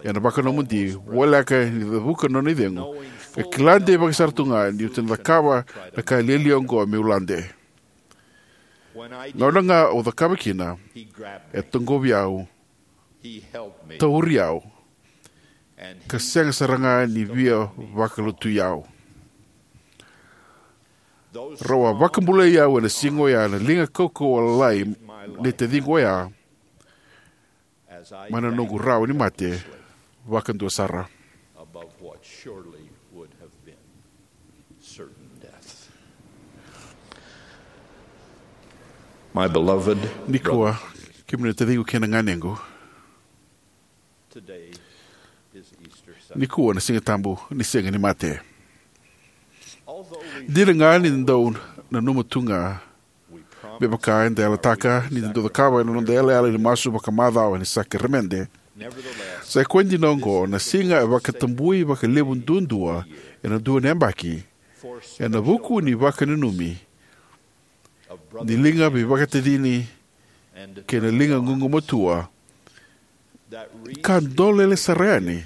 ena vakanomodi, voleka ni cavuka na nona icegu, ka kila deivaki sara tu ga niu na cakava na ka lialia oqo meu lade. Gauna ga au cakava kina, e toqovi au, tauri au, ka sega sara ga ni via vakalotui au. Rau a vakabulai au ena siga oya na liga kaukauwa lalai nei taciqu oya, mai na noqu rawa ni mate vakadua sara. My beloved, nikua, kemuni na taciqu kei na ganequ, nikua na Siga Tabu ni Sega ni Mate. Dina ga ni da dau nanuma tu ga, me vaka eda yalataka ni da dau cakava ena noda yalayala ni masu vakamacawa ni sakaramede, sa i koya dina oqo na siga e vakatabui vakalevu duadua ena dua na yabaki, ena vuku ni vakananumi ni liga veivakatacini kei na liga gugumatua, ka dolele sara yani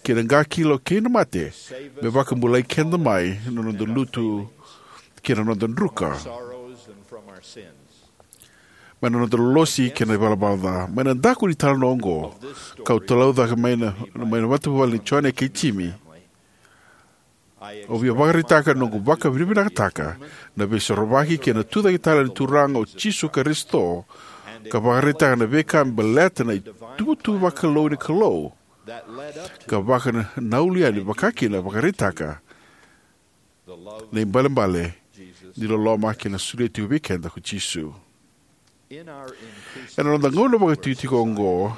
ki na qakilo kei na mate, me vakabulai keda mai na noda lutu kei na noda druka, mai na noda lolosi kei na ivalavala ca. Mai na daku ni talanoa oqo, kau talaucaka mai na, mai na matavuvale ni Jone kei Jimi, au via vakaraitaka na noqu vakavinavinakataka na Veisorovaki kei na Tucaketale ni Turaga o Jisu Karisito, ka vakaraitaka na veika me baleta na ituvatuva vakalou ni Kalou, ka vaka na, na ulu yani vakakina vakaraitaka na ibalebale ni loloma kei na solia tiko vei keda ko Jisu. Ena noda gauna vakatikotiko oqo,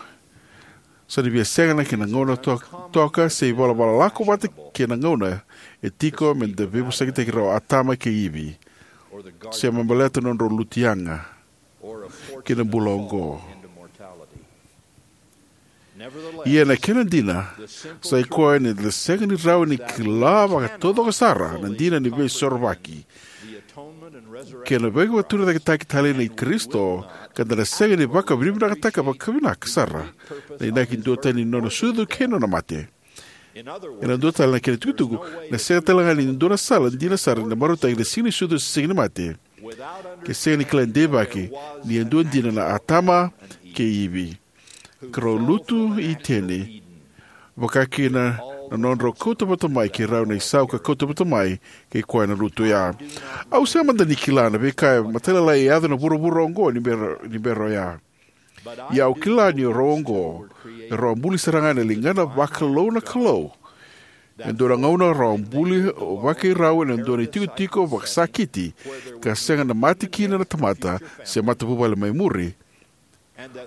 sa na via sega na kena gauna to-, toka se ivalavala lako vata kei na gauna e tiko me da veivosakitaki rau Atama kei Ivi, se me baleta na nodrau lutu yaga ki na bula oqo. Ia na kena dina, sa i koya ni da sega ni rawa ni kila vakataucoko sara na dina ni Veisorovaki kei na veivakaturicaketaki tale nei Karisito, ka da na sega ni vakavinavinakataka vakavinaka sara na inaki duatani ni nona sucu kei na nona mate. Ena dua tale na kena tukutuku, na sega tale ga ni dua na sala dina sara ni da marautaki na siga ni sucu se siga ni mate ke sega ni kila deivaki ni a dua dina na Atama kei Ivi, ka rau lutu i Iteni, vakakina na nodrau kauta vata mai kei rau na isau ka kauta vata mai kei koya na lutu oya. Au sega mada ni kila na veika e matailalai e yaco ena vuravura oqo ni bera, ni bera oya. Ia au kila ni o rau oqo, e rau a buli sara ga ena ligana vakalou na Kalou. E dua na gauna rau a buli vakairau ena dua na itikotiko vakasakiti, ka sega na mate kina na tamata se matavuvale mai muri.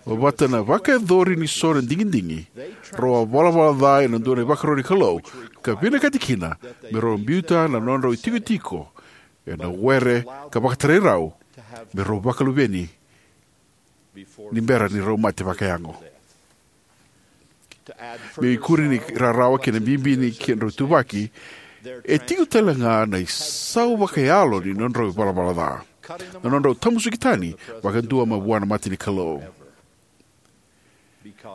Vata na vakayacori ni so na digidigi, rau a valavala ca ena dua na ivakaro ni Kalou, ka vinakati kina me rau biuta na nodrau itikotiko ena were ka vakatarai rau me rau vakaluveni ni bera ni rau mate vakayago. Me ikuri ni rarawa kei na bibi ni kedrau ituvaki, e tiko tale ga na isau vakayalo ni nodrau ivalavala ca, na nodrau tamusuki tani vakadua mai vua na mata ni Kalou.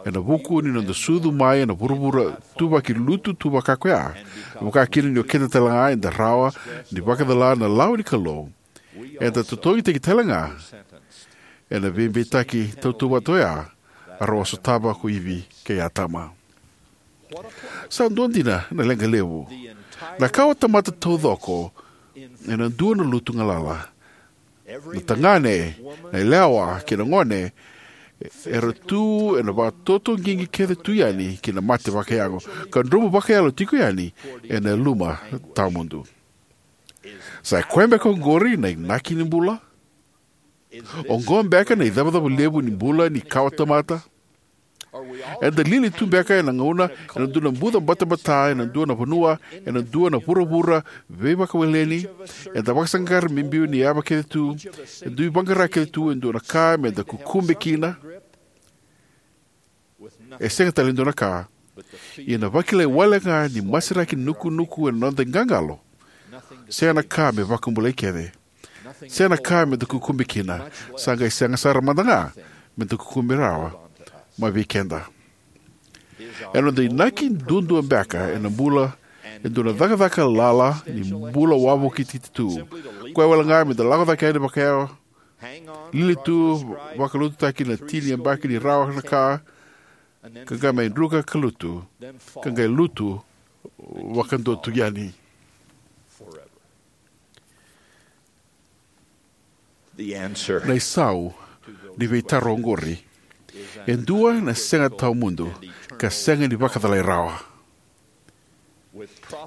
Ena vuku ni noda sucu mai ena vuravura tuvaki lutu tu vaka koya, vakakina ni o keda tale ga eda rawa ni vakacala na lawa ni Kalou, eda totogitaki tale ga ena veibeitaki tautauvata oya a rau a sotava ko Ivi kei Atama. Sa dua dina na leqa levu. Na kawatamata taucoko ena dua na lutu galala. Na tagane, na yalewa kei na gone era tu ena vakatotoqiqi kece tu yani ki na mate vakayago, ka dromu vakayalo tiko yani ena luma tawamudu. Sa i koya beka oqori na inaki ni bula? Oqo beka na icavacava levu ni bula ni kawatamata? Eda lili tu beka ena gauna ena dua na buca batabata ena dua na vanua, ena dua na vuravura veivakaweleni? Eda vakasaqara me biu ni yava kece tu, e dui vaqara kece tu e dua na ka me da kukube kina. E sega tale e dua na ka. Ia na vakilai wale ga ni masiraki nukunuku ena noda iqaqalo. Sega na ka me vakabulai kece. Sega na ka me da kukube kina. Sa qai sega sara mada ga me da kukube rawa mai vei keda. Ena noda inaki duadua beka ena bula e dua na cakacaka lala ni bula wavoki titi tu. Koya wale ga me da lako cake yani vakayawa, lili tu, vakalututaki na tini yabaki ni rawa na ka, ka qai mai druka ka lutu, ka qai lutu vakadua tu yani. Na isau ni veitaro oqori e dua na sega tawamudu ka sega ni vakacalai rawa.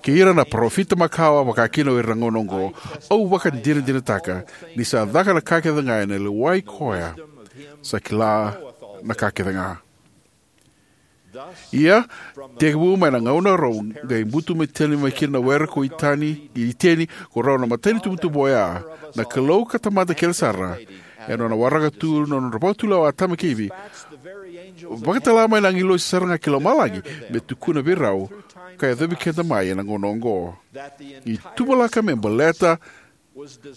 Kei ira na parofita makawa, vaka kina o ira na gauna oqo, au vakadinadinataka ni sa caka na ka kece ga ena lewai koya sa kila na ka kece ga. Ia, tekivu mai na gauna rau qai butu mai tani mai kina na were ko Iteni, Iteni, ko rau na matai ni tubutubu oya, na Kalou ka Tamada kece sara, ena nona waraka tu na nodra vakatulewa o Atama kei Ivi, vakatala mai na agilosi sara ga ki lomalagi me tukuna vei rau ka yacovi keda mai ena gauna oqo. Ni tuvalaka me baleta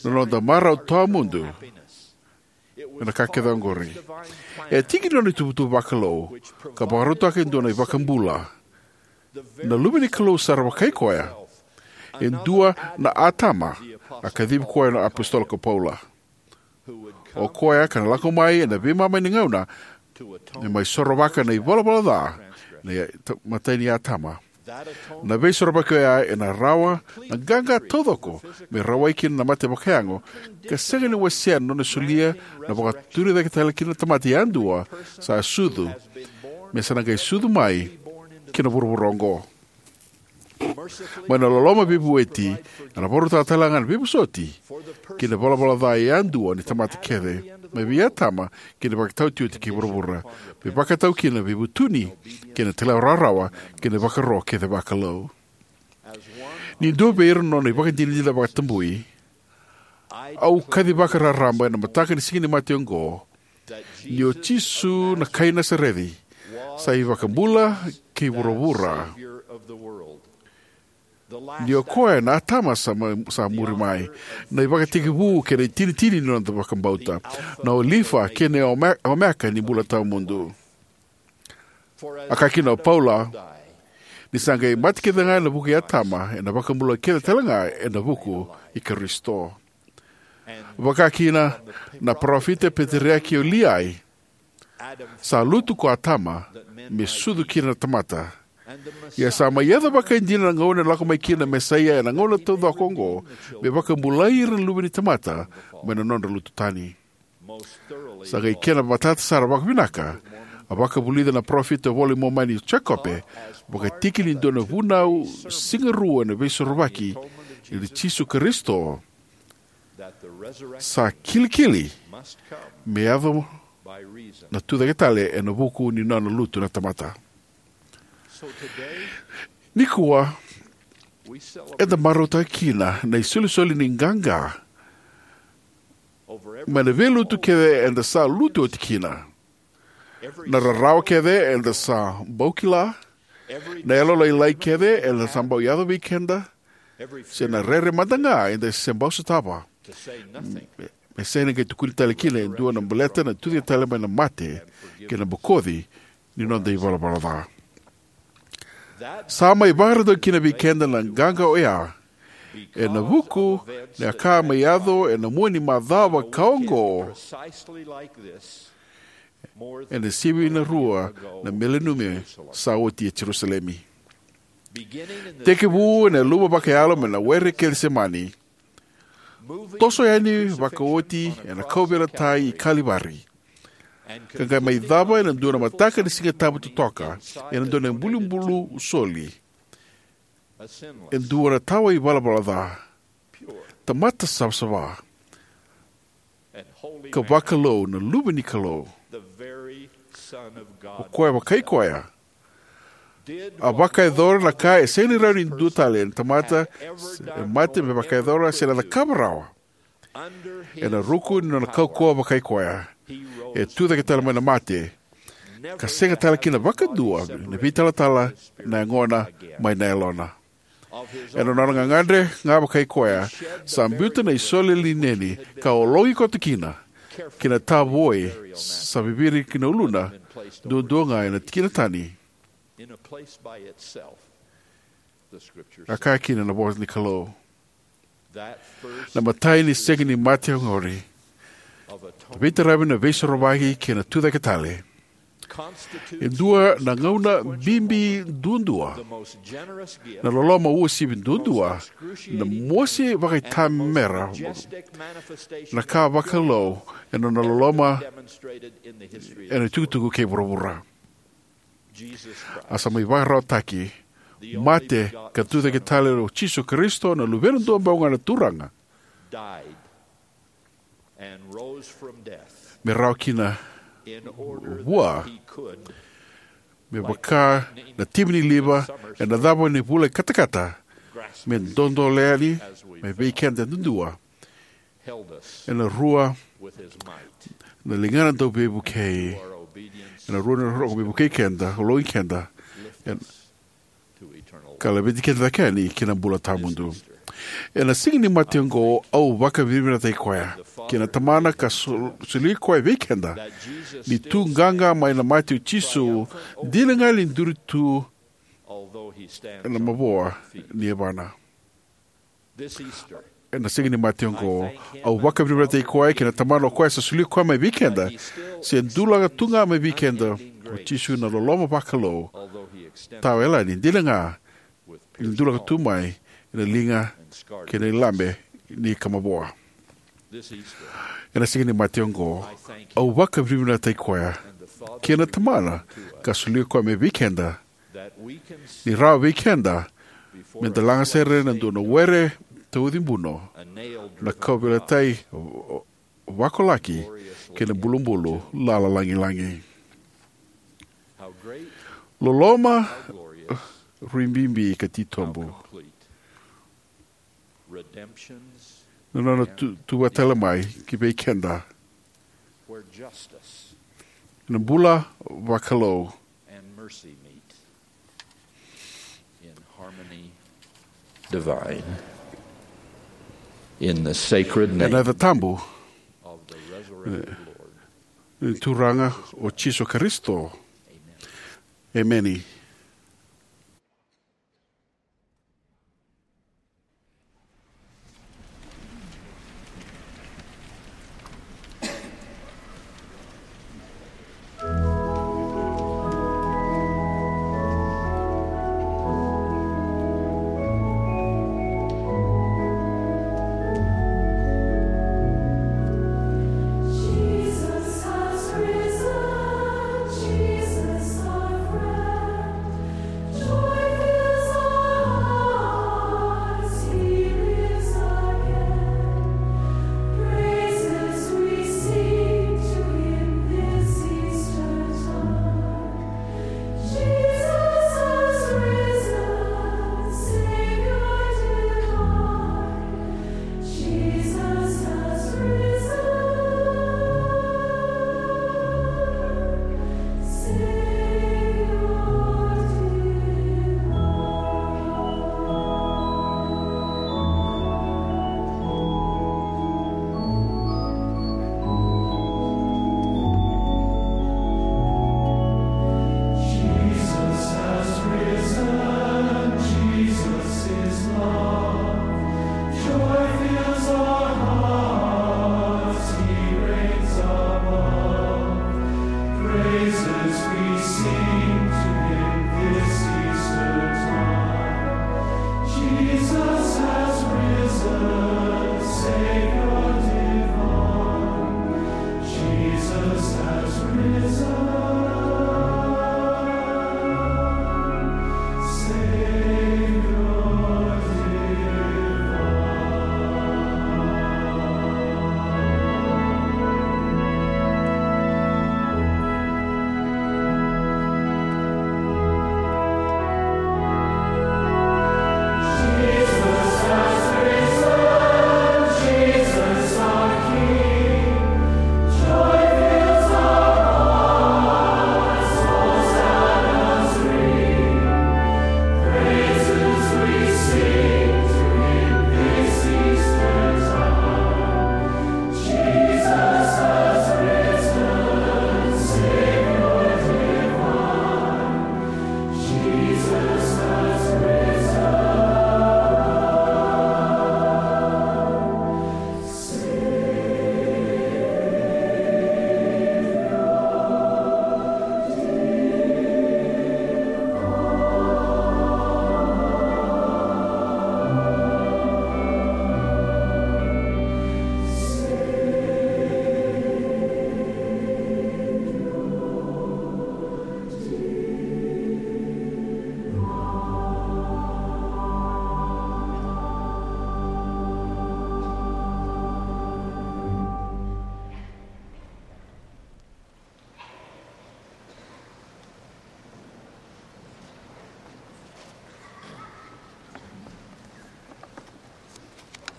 na noda marau tawamudu ena ka kece oqori. E tiki ni nona ituvatuva vakalou ka vakarautaka e dua na iVakabula, na Luve ni Kalou sara vakai koya, e dua na Atama, a kacivi koya na apositolo ko Paula. O koya ka na lako mai ena veimama ni gauna me mai sorovaka na ivalavala ca na matai ni Atama. Na veisorovaki oya ena rawa na qaqa taucoko me rawai kina na mate vakayago, ka sega ni wasea na nona solia na vakaturi cake tale kina na tamata yadua sa sucu, me sa na qai sucu mai ki na vuravura oqo. Mai na loloma veivueti, ena vakarautaka tale ga na veivosoti ki na valavala ca yadua ni tamata kece, mai vei Atama ki na ivakataotioti kei vuravura, me vakatau kina na veivutuni kei na talairawarawa kei na ivakaro kece vakalou. Ni dua vei ira na nona ivakadinadina vakatabui, au kacivaka raraba ena mataka ni Siga ni Mate oqo ni o Jisu na kai Nasareci sa iVakabula kei vuravura. Ni o koya na Atama sa, ma, sa muri mai, na ivakatekivu kei na itinitini ni noda vakabauta, na Olifa kei na Ome-, Omeka ni bula tawamudu. A kaya kina o Paula, ni sa qai mate kece ga ena vuku i Atama, ena vakabula kece tale ga ena vuku i Karisito. Vaka kina na parofita peteriaki o Liai, sa lutu ko Atama me sucu kina na tamata. Ia sa mai yaco vakaidina na gauna ena lako mai kina na Mesaia ena gauna taucoko oqo, me vakabulai ira na luve ni tamata mai na nodra lutu tani. Sa qai kena matata sara vakavinaka, a vakavulica na parofita iVola i Momani o Jekope, vakatiki ni dua na vunau sigarua ena veisorovaki, ni Jisu Karisito sa kilikili me yaco na tucake tale ena vuku ni nona lutu na tamata. Nikua, eda marautaka kina na isolisoli ni qaqa mai na veilutu kece eda sa lutu oti kina. Na rarawa kece eda sa bau kila, na yalolailai kece eda sa bau yaco vei keda, se na rere mada ga eda se bau sotava. Me sega ni qai tukuni tale kina e dua na baleta na tucake tale mai na mate kei na bokoci ni noda ivalavala ca. Sa mai vakarautaki kina vei keda na qaqa oya ena vuku ni a ka mai yaco ena mua ni macawa ka oqo, ena sivi na rua na mileniumi sa oti e Jerusalemi. Tekivu ena luma vakayalo mai na were Kecisemani, toso yani vakaoti ena kauveilatai i Kalivari, ka qai mai cava ena dua na mataka ni Siga Tabu totoka, ena dua na ibulubulu soli, e dua na tawa ivalavala ca, tamata savasava, ka vakalou, na Luve ni Kalou. O koya vakai koya a vakayacora na ka e sega ni rawa ni dua tale na tamata e mate me vakayacora se na cakava rawa. Ena ruku ni nona kaukauwa vakai koya, e tucake tale mai na mate, ka sega tale kina vakadua na veitalatala na yagona mai na yalona. Ena nona gagadre ga vakai koya, sa biuta na isole lineni ka ologi koto kina, kei na tavoi sa viviri ki na uluna, duadua ga ena tikina tani. A kaya kina na vosa ni Kalou. Na imatai ni sega ni mate oqori, veitaravi na veisorovaki kei na tucake tale, e dua na gauna bibi duadua, na loloma uasivi duadua, na mosi vakaitamera, na ka vakalou ena nona loloma ena itukutuku kei vuravura. A sa mai vakararawataki, mate, ka tucake tale o Jisu Karisito, na Luvena duabau ga na Turaga, me rawa kina vua, me vaka na timi ni liva ena cava ni vula i katakata, me dodole yani mai vei keda duadua ena rua na ligana dauveivukei, ena rua na rogo veivukei keda, ologi keda, ena ka laveti keda cake yani ki na bula tawamudu. Ena siga ni mate oqo, au vakavinavinakataki koya kei na Tamana ka sol-, soli koya vei keda, ni tu qaqa mai na mate o Jisu, dina ga ni duri tu ena mavoa ni yavana. Ena siga ni mate oqo, au vakavinavinakataki koya kei na Tamana o koya sa soli koya mai vei keda, se dulaka tu ga mai vei keda o Jisu na loloma vakalou, tawa yalani, dina ga ni dulaka tu mai ena liga kei na ilabe ni ka mavoa. Ena siga ni mate oqo, au vakavinavinakataki koya kei na Tamana ka soli koya mai vei keda, ni rawa vei keda me da laga sere na dua na were tauci buno, na kauveilatai vakolaki kei na bulubulu lala lagilagi. Loloma rui bibi ka titobu. Na nona tu-, tuva tale mai ki vei keda na bula vakalou. Ena yaca tabu ni Turaga o Jisu Karisito. Emeni.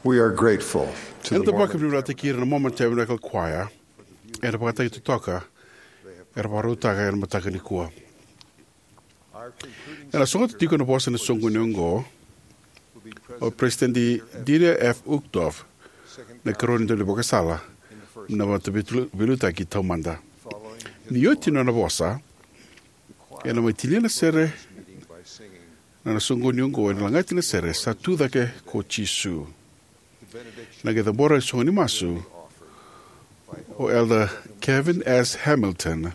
We are grateful to Eda the Mormon vakavinavinakataki ira na Mormon Tabernacle Choir ena vakataki totoka era vakarautaka ena mataka nikua. Ena sogota tiko na vosa ena soqoni oqo o President Dieter F. Uchtdorf, na ikarua ni daunivakasala ni Vata Veiliu-, Veiliutaki Taumada. Ni oti na nona vosa, ena mai tinia na sere na, na soqoni oqo ena lagati na sere Sa Tu Cake ko Jisu. Na qai cabora e soqoni masu o Elder Kevin S. Hamilton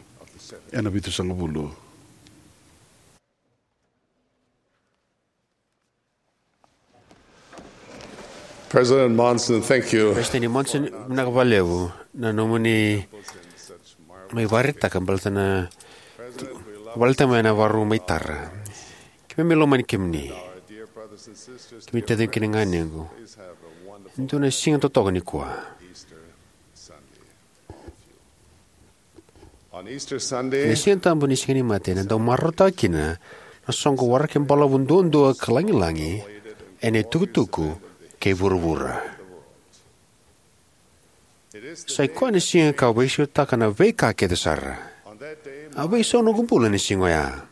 ena vitusagavulu. President Monson, thank you. President Monson, vinaka vakalevu na nomuni mai vakaraitaka baleta na, baleta mai na varu mai tara. Keimami lomani kemuni. Kemuni taciqu kei na ganequ. Dua na siga totoka nikua. On Easter Sunday, na Siga Tabu ni Siga ni Mate, na dau marautaka kina na soqo waraki balavu duadua ka lagilagi ena itukutuku kei vuravura. Sa i koya na siga ka veisautaka na veika kece sara. A veisau noqu bula ena siga oya.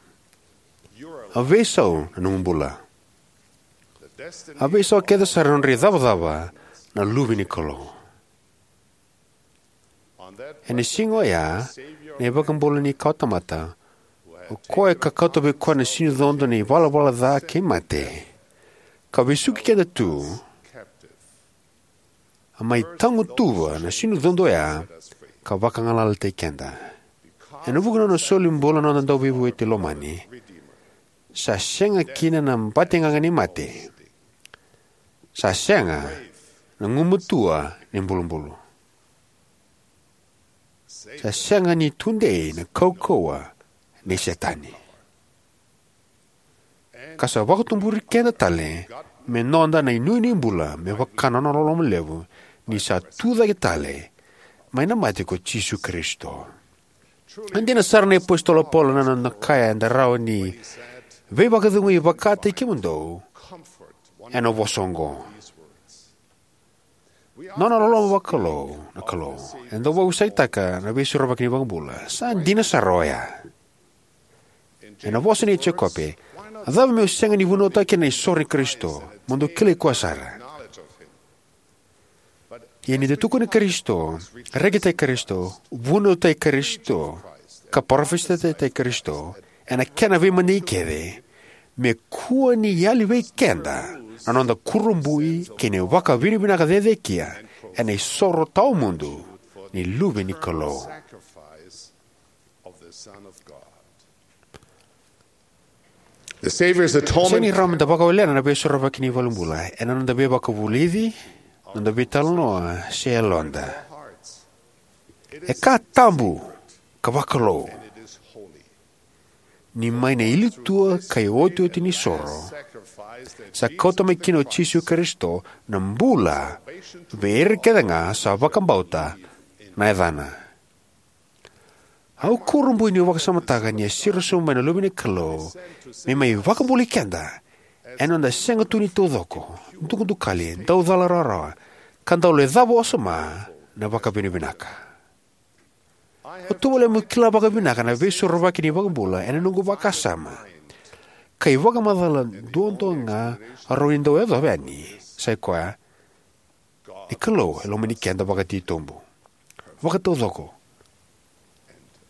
A veisau na nomu bula. A veisau kece sara na nodra icavacava na luve ni Kalou. Ena siga oya, na iVakabula ni kawatamata, o koya ka kauta vei koya na sinucodo ni valavala ca kei mate, ka vesuki keda tu, a mai tagutuva na sinucodo oya ka vagalalataki keda. Ena vuku ni nona soli bula na noda Dauveivueti lomani, sa sega kina na bategaga ni mate. Sa sega na gumatua ni bulubulu. Sa sega ni tudei na kaukauwa ni Setani. Ka sa vakatuburi keda tale me noda na inuinui bula me vaka na nona loloma levu, ni sa tucake tale mai na mate ko Jisu Karisito. E dina sara na iApositolo o Paula na nona kaya eda rawa ni veivakacegui vakataki kemudou ena vosa oqo. Nona loloma vakalou na Kalou, eda dau vakausakitaka na Veisorovaki ni iVakabula. Sa dina sara oya. Ena vosa nei Jekope, a cava meu sega ni vunautaka kina na isoro i Karisito, mo dou kilai koya sara. Ia ni da tukuni Karisito, rekitaki Karisito, vunautaki Karisito, ka parofisaitaki Karisito, ena kena veimadigi kece, me kua ni yali vei keda na noda kurabui kei na vakavinavinaka cecekia ena isoro tawamudu ni Luve ni Kalou. The Savior's atonement. Sega ni rawa meda vakawelena na Veisorovaki ni iVakabula ena noda veivakavulici, noda veitalanoa, se yaloda. E ka tabu ka vakalou. Ni mai na ilitua ka iotioti ni soro, sa kauta mai kina o Jisu Karisito na bula vei ira kece ga sa vakabauta na yacana. Au kurabui niu vakasamataka ni a siro sobu mai na Luve ni Kalou me mai vakabulai keda ena noda sega tu ni taucoko, dukadukali, dau cala rawarawa, ka dau lecava wasoma na vakavinavinaka. Au tovolea meu kila vakavinaka na Veisorovaki ni iVakabula ena noqu vakasama, ka ivakamacala duadua ga au rawa ni dau yacova yani sa i koya ni Kalou e lomani keda vakatitobu, vakataucoko,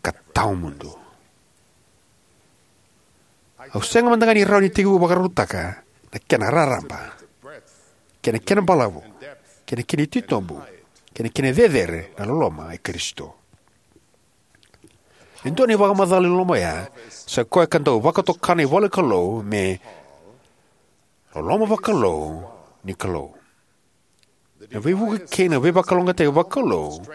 ka tawamudu. Au sega mada ga ni rawa ni tekivu vakarautaka na kena raraba, kei na kena balavu, kei na kena titobu, kei na kena cecere na loloma i Karisito. E dua na ivakamacala ni loloma oya, sa i koya ka dau vakatoka na ivola ni Kalou me loloma vakalou ni Kalou. Na veivuke kei na veivakalougatataki vakalou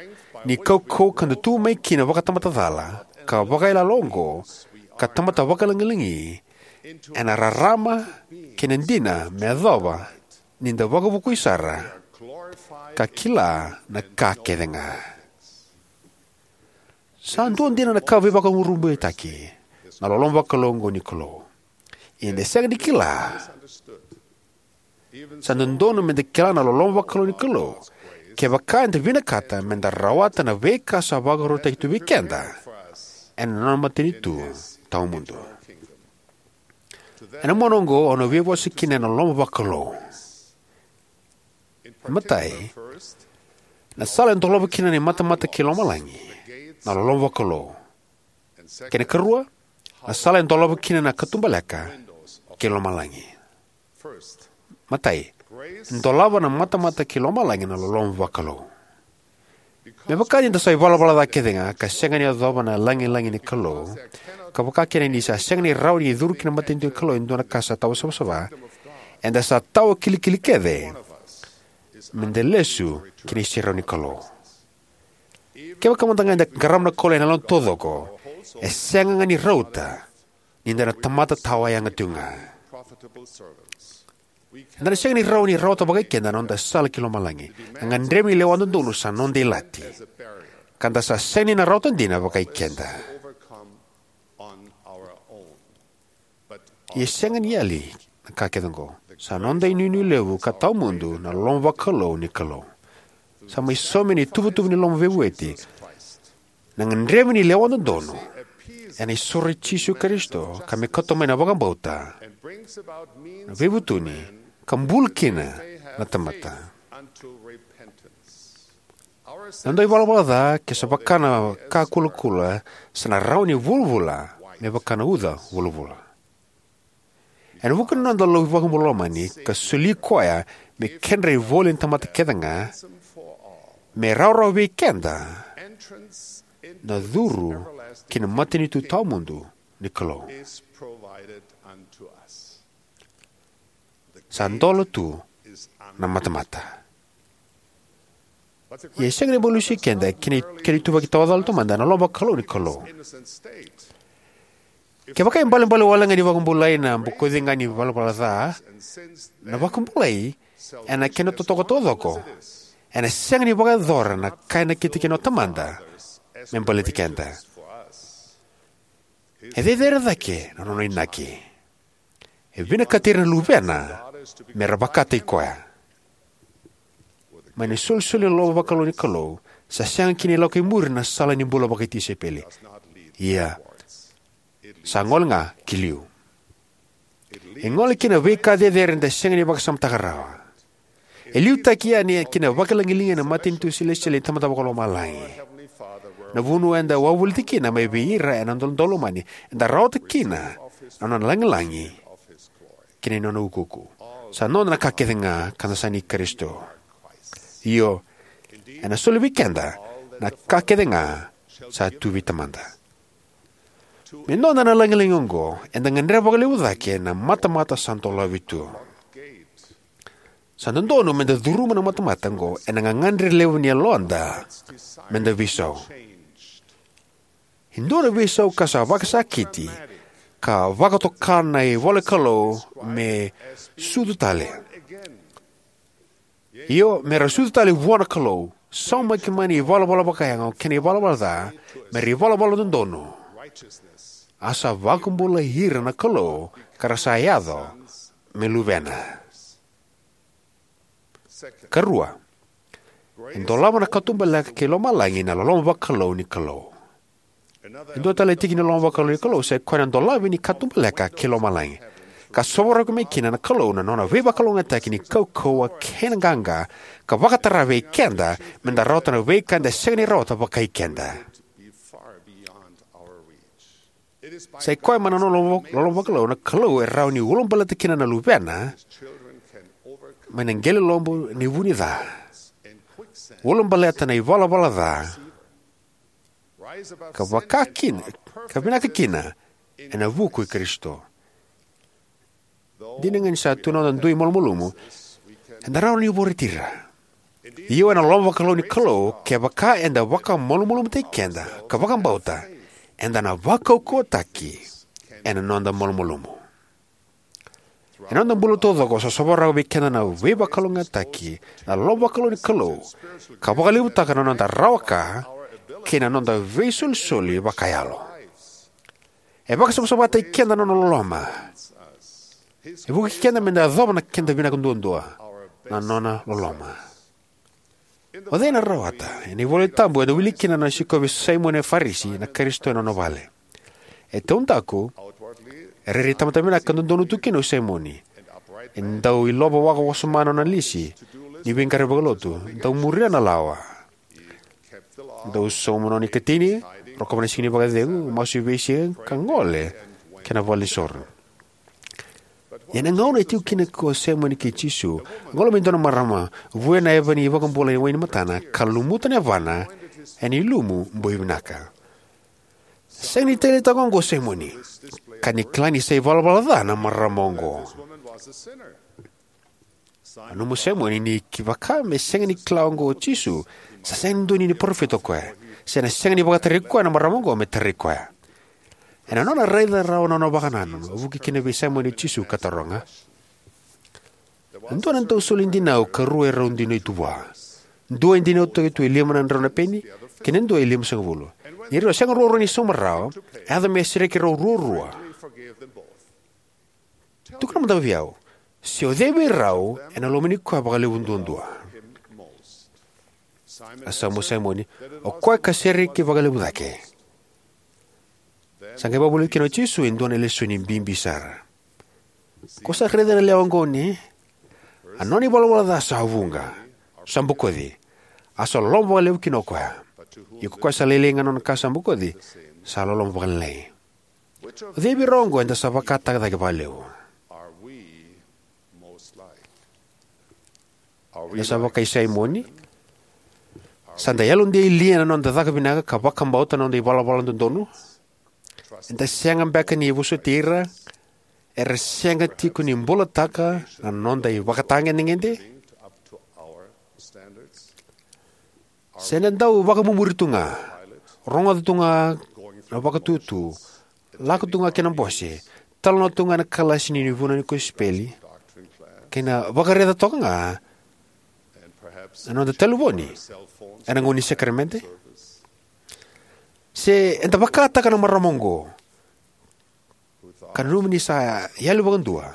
ni kaukauwa ka da tu mai kina vakatamata cala ka vakayaloyalo oqo ka tamata vakalagilagi ena rarama kei na dina me yacova ni da vakavukui sara ka kila na ka kece ga. Sa dua dina na ka veivakurabuitaki na loloma vakalou oqo ni Kalou. Ia eda sega ni kila Sa dodonu me da kila na loloma vakalou ni Kalou kevaka eda vinakata me da rawata na veika sa vakarautaki tu vei keda ena Nona matanitu tawamudu. Ena mona oqo au na veivosa kina ena loloma vakalou. Matai, na sala e dolava kina na imatamata kei lomalagi na loloma vakalou. Kei na karua, na sala e dolava kina na katubaleka kei lomalagi. Matai, e dolava na matamata kei lomalagi na loloma vakalou. Me vaka ni da sa ivalavala ca kece ga ka sega ni yacova na lagilagi ni Kalou, ka vakakina ni sa sega ni rawa ni curu ki na matanitu ni Kalou e dua na ka sa tawa savasava, eda sa tawa kilikili kece me da lesu ki na iserau ni Kalou. Kevaka mada ga eda qarava na Kalou ena yaloda taucoko, e sega ga ni rauta ni da na tamata tawayaga tiko ga. Eda na sega ni rawa ni rawata vakai keda na noda sala ki lomalagi. Na gadrevi ni lewa dodonu sa noda ilati, ka da sa sega ni na rawata dina vakai keda. Ia e sega ni yali na ka kece oqo. Sa noda inuinui levu ka tawamudu na loloma vakalou ni Kalou. Sa mai saumi ena ituvatuva ni loma veivueti na gadrevi ni lewa dodonu ena isoro i Jisu Karisito, ka me kauta mai na vakabauta, na veivutuni, ka bula kina na tamata. Na noda ivalavala ca, ke sa vaka na ka kulakula, sa na rawa ni vulavula me vaka na uca vulavula. Ena vuku ni noda lau iVakabula lomani ka soli koya me kedra ivoli na tamata kece ga, me rawarawa vei keda na curu ki na matanitu tawamudu ni Kalou. Sa dola tu na matamata. Ia e sega ni bau lesuvi keda ki na kena ituvaki tawa cala taumada na loloma vakalou ni Kalou. Kevaka e balebale wale ga ni vakabulai na bokoci ga ni valavala ca, na vakabulai ena kena totoka taucoko ena sega ni vakayacora na ka e nakiti kina o Tamada me baleti keda. E cecere cake na nona inaki. E vinakati ira na luvena me ra vakataki koya. Mai na isolisoli ni loloma vakalou ni Kalou, sa sega kina ni lako i muri na sala ni bula vakatisaipeli. Ia, sa gole ga ki liu. E gole ki na veika cecere eda sega ni vakasamataka rawa. E liutaki yani ki na vakalagilagi ena matanitu selesitieli ni Tamada Vakalomalagi, na vanua eda wavoliti kina mai vei ira ena noda lomani, eda rawata kina na nona lagilagi kei na nona ukuuku. Sa noda na ka kece ga ka da sa ni Karisito. Io, ena soli vei keda na ka kece ga sa tu vei Tamada. Me noda na lagilagi oqo, eda gadreva vakalevu cake na matamata sa dolavi tu. Sa dodonu me da curuma na matamata oqo ena gagadre levu ni yaloda me da veisau. E dua na veisau ka sa vakasakiti ka vakatoka na ivola ni Kalou me sucu tale. Io, me ra sucu tale vua na Kalou, saumaki mai na ivalavala vakayago kei na ivalavala ca me ra ivalavala dodonu, a sa vakabulai ira na Kalou ka ra sa yaco me luvena. Karua, e dolava na katubaleka kei lomalagi na loloma vakalou ni Kalou. E dua tale na tiki ni loloma vakalou ni Kalou sa i koya na dolavi ni katubaleka kei lomalagi, ka sovaraki mai kina na Kalou na nona veivakalougatataki ni kaukauwa kei na qaqa, ka vakatara vei keda me da rawata na veika eda sega ni rawata vakai keda. Sa i koya mai na nona loloma vakalou na Kalou e rawa ni ulabaleta kina na luvena mai na qele lobu ni vu ni ca, ulabaleta na ivalavala ca, ka vaka kina, ka vinaka kina ena vuku i Karisito. Dina ga ni sa tu na noda dui malumalumu, eda rawa ni vorati ira. Io, ena loloma vakalou ni Kalou, kevaka eda vakamalumalumutaki keda ka vakabauta, eda na vakaukauwataki ena noda malumalumu. Ena noda bula taucoko sa sovaraka vei keda na veivakalougatataki na loloma vakalou ni Kalou, ka vakalevutaka na noda rawa ka kei na noda veisolisoli vakayalo. E vakasavasavataki keda na nona loloma. E vukei keda me da yacova na keda vinaka duadua, na nona loloma. O cei ena rawata? Ena iVola Tabu eda wilika kina na nona sikovi Saimoni na Farisi na Karisito ena nona vale. E taudaku, e rairai tamata vinaka ka dodonu tu kina o Saimoni. E dau ilova waka wasoma na nona lisi ni veiqaravi vakalotu, dau muria na lawa, dau sauma na nona ikatini, rokova na siga ni vakacegu, masu e veisiga, ka gole ki na valenisoro. Ia na gauna e tiko kina o Saimoni kei Jisu, a gole mai e dua na marama, vuya na yava ni iVakabula e wainimatana, ka lumuta na yavana ena ilumu boi vinaka. Sega ni taleitaka oqo o Saimoni, ka ni kila ni sa ivalavala ca na marama oqo. Nanuma o Saimoni ni kevaka me sega ni kila oqo o Jisu, sa sega ni dua ni parofita o koya, se na sega ni vakatarai koya na marama oqo me tarai koya. Ena nona raica rawa na nona vakanananu, a vuki kina vei Saimoni o Jisu ka taroga. E dua na dau soli dinau ka rua e rau dinau tu vua. Dua e dinau toka tu e lima na drau na peni, kei na dua e limasagavulu. Ni rau sega ruarua ni sauma rawa, a yaco me sereki rau ruarua. Tukuna mada vei au, se o cei vei rau ena lomani koya vakalevu duadua? A sauma o Saimoni, o koya ka sereki vakalevu cake. Sa qai vakavulica kina o Jisu e dua na lesoni bibi sara. Ko sa raica na lewe oqo ne? A nona ivalavala ca sa vuqa, sa bokoci, a sa loloma vakalevu kina o koya. Ia ko koya sa lailai ga na nona ka sa bokoci, sa loloma vakalailai. O cei vei rau oqo eda sa vakataka cake vakalevu? Eda sa vakai Saimoni? Sa da yalodei lia na noda caka vinaka ka vakabauta na noda ivalavala dodonu? Eda sega beka ni vosoti ira era sega tiko ni bulataka na noda ivakatagedegede? Se da dau vakamumuri tu ga, rogoca tu ga na vakatutu, lako tu ga ki na bose, talanoa tu ga na kalasi ni vunau ni kosipeli, kei na vakaraica toka ga na noda talevoni ena gauna ni sakaramede? Se eda vakataka na marama oqo, ka nanuma ni sa yali vakadua,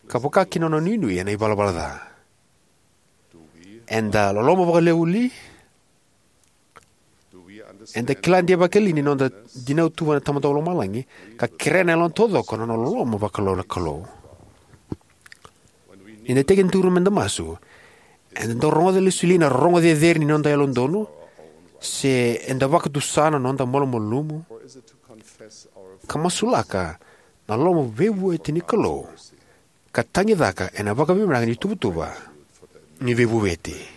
ka vaka kina nona nuinui ena ivalavala ca? Eda loloma vakalevu li? Eda kila deivaki li ni noda dinau tu vua na Tamada Vakalomalagi, ka kerea na yalona taucoko na nona loloma vakalou na Kalou? Ni da tekiduru me da masu, eda dau rogoca lesu li na rogo cecere ni noda yalododonu, se eda vakatusa na noda malumalumu, ka masulaka na loloma veivueti ni Kalou, ka tagicaka ena vakavinavinaka ni tuvatuva ni veivuveti?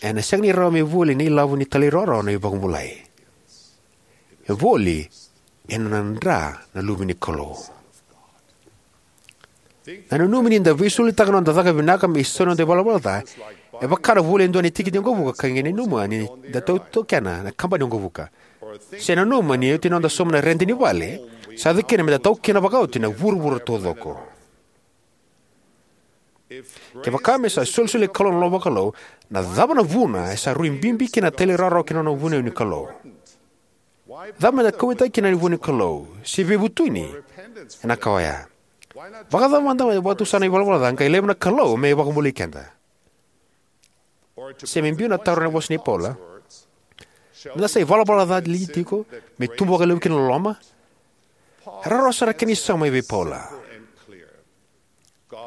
Ena sega ni rawa me voli na ilavo ni talairawarawa na ivakabulai. E voli ena nona dra na Luve ni Kalou. Na nanumi ni da veisolitaka na noda caka vinaka me isau na noda ivalavala ca, e vaka na voli e dua na tikiti waqavuka ka qai nanuma ni da tautaukena na kabani waqavuka. Se nanuma ni oti na noda sauma na rede ni vale, sa yaco kina me da taukena vakaoti na vuravura taucoko. Kevaka me sa solisoli na Kalou na loloma vakalou, na cava na vuna e sa rui bibi kina na talairawarawa kei na nona vunau ni Kalou? Cava me da kauwaitaka kina na vunau ni Kalou, se veivutuni ena ka oya? Vakacava mada me vakatusa na ivalavala ca qai laiva na Kalou me vakabulai keda? Se me biu na taro ena vosa nei Paula, me da sa ivalavala ca li tiko me tubu vakalevu kina na loloma? E rawarawa sara kena isau mai vei Paula.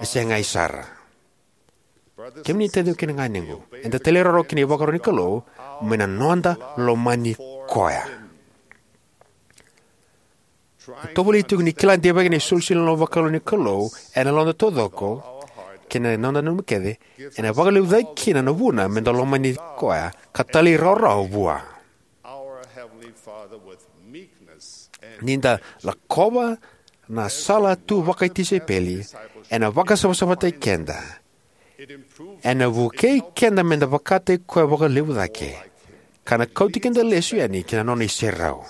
E segai sara. Kemuni taciqu kei na ganequ, eda talairawarawa kina ivakaro ni Kalou mai na noda lomani koya. Tovolei tiko ni kila deivaki na isolisoli ni loloma vakalou ni Kalou ena yaloda taucoko kei na noda nanuma kece, ena vakalevu cake kina na vuna me da lomani koya ka talairawarawa vua. Ni da lakova na sala tu vakatisaipeli, ena vakasavasavataki keda. Ena vukei keda me da vakataki koya vakalevu cake, ka na kauti keda lesu yani ki na nona iserau.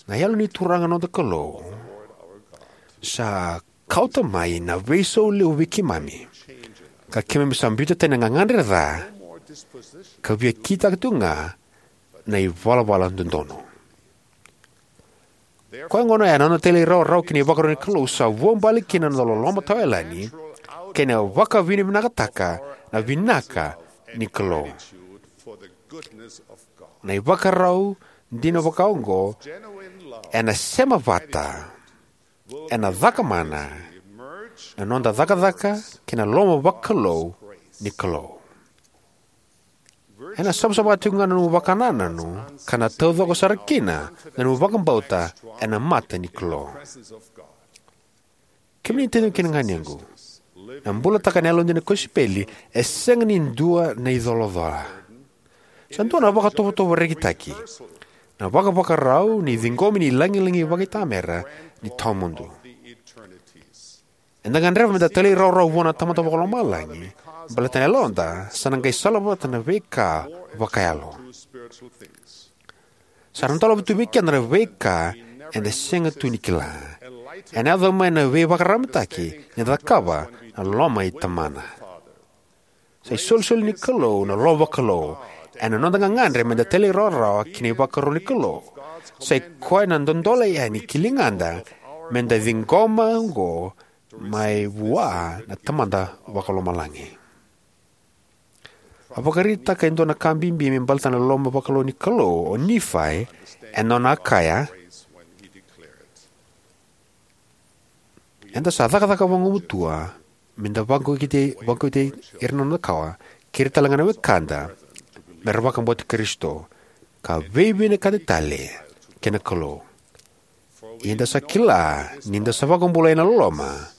Na Yalo ni Turaga na noda Kalou sa kauta mai na veisau levu vei keimami, ka keimami sa biuta tani na gagadre ca, ka via kitaka tu ga na ivalavala dodonu. Koya gona, ena noda talairawarawa ki na ivakaro ni Kalou sa vuabale kina na noda loloma tawayalani kei na vakavinavinakataka na vinaka ni Kalou. Na ivakarau dina vakaoqo ena sema vata, ena cakamana na noda cakacaka kei na loloma vakalou ni Kalou. Ena savasava tiko ga na nomu vakanananu ka na taucoko sara kina na nomu vakabauta ena mata ni Kalou. Kemuni na taciqu kei na ganequ, na bulataka na yalodina ni kosipeli e sega ni dua na icolacola. Sa dua na vakatovotovo rekitaki, na vakavakarau ni ciqomi ni lagilagi vakaitamera ni tawamudu. Eda gadreva meda talairawarawa vua na Tamada Vakalomalagi baleta na yaloda sa na qai salavata na veika vakayalo. Sa na dolava tu vei keda na veika eda sega tu ni kila. Ena yaco mai na veivakararamataki ni da cakava na loma i Tamana. Sa isolisoli ni Kalou na loloma vakalou ena noda gagadre meda talairawarawa ki na ivakaro ni Kalou. Sa i koya na dodola yani ki ligada meda ciqoma oqo mai vua na Tamada Vakalomalagi. A vakaraitaka e dua na ka bibi me baleta na loloma vakalou ni Kalou o Nifai ena nona a kaya, eda sa cakacaka vagumatua meda vakaukauwataki ira na noda kawa, kei ira talega na wekada, mera vakabauti Karisito, ka veivinakati tale kei na Kalou. Ia eda sa kila ni da sa vakabulai ena loloma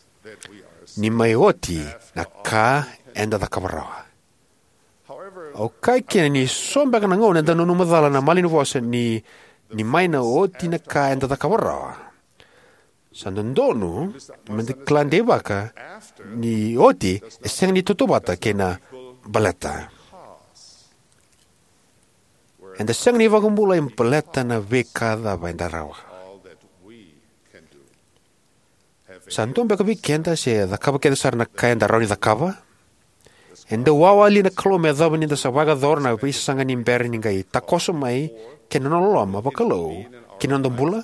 ni mai oti na ka eda cakava rawa. Au kaya kina ni so beka na gauna eda nanuma cala na malanivosa ni, ni mai na oti na ka eda cakava rawa, sa dodonu meda kila deivaki ni oti e sega ni tautauvata kei na baleta. Eda sega ni vakabulai baleta na veika cava eda rawa. Sa dua beka vei keda se cakava kece sara na ka eda rawa ni cakava? E dau wawa li na Kalou me yacova ni da sa vakayacora na veisasaga ni bera ni qai takoso mai kei na nona loloma vakalou ki na noda bula?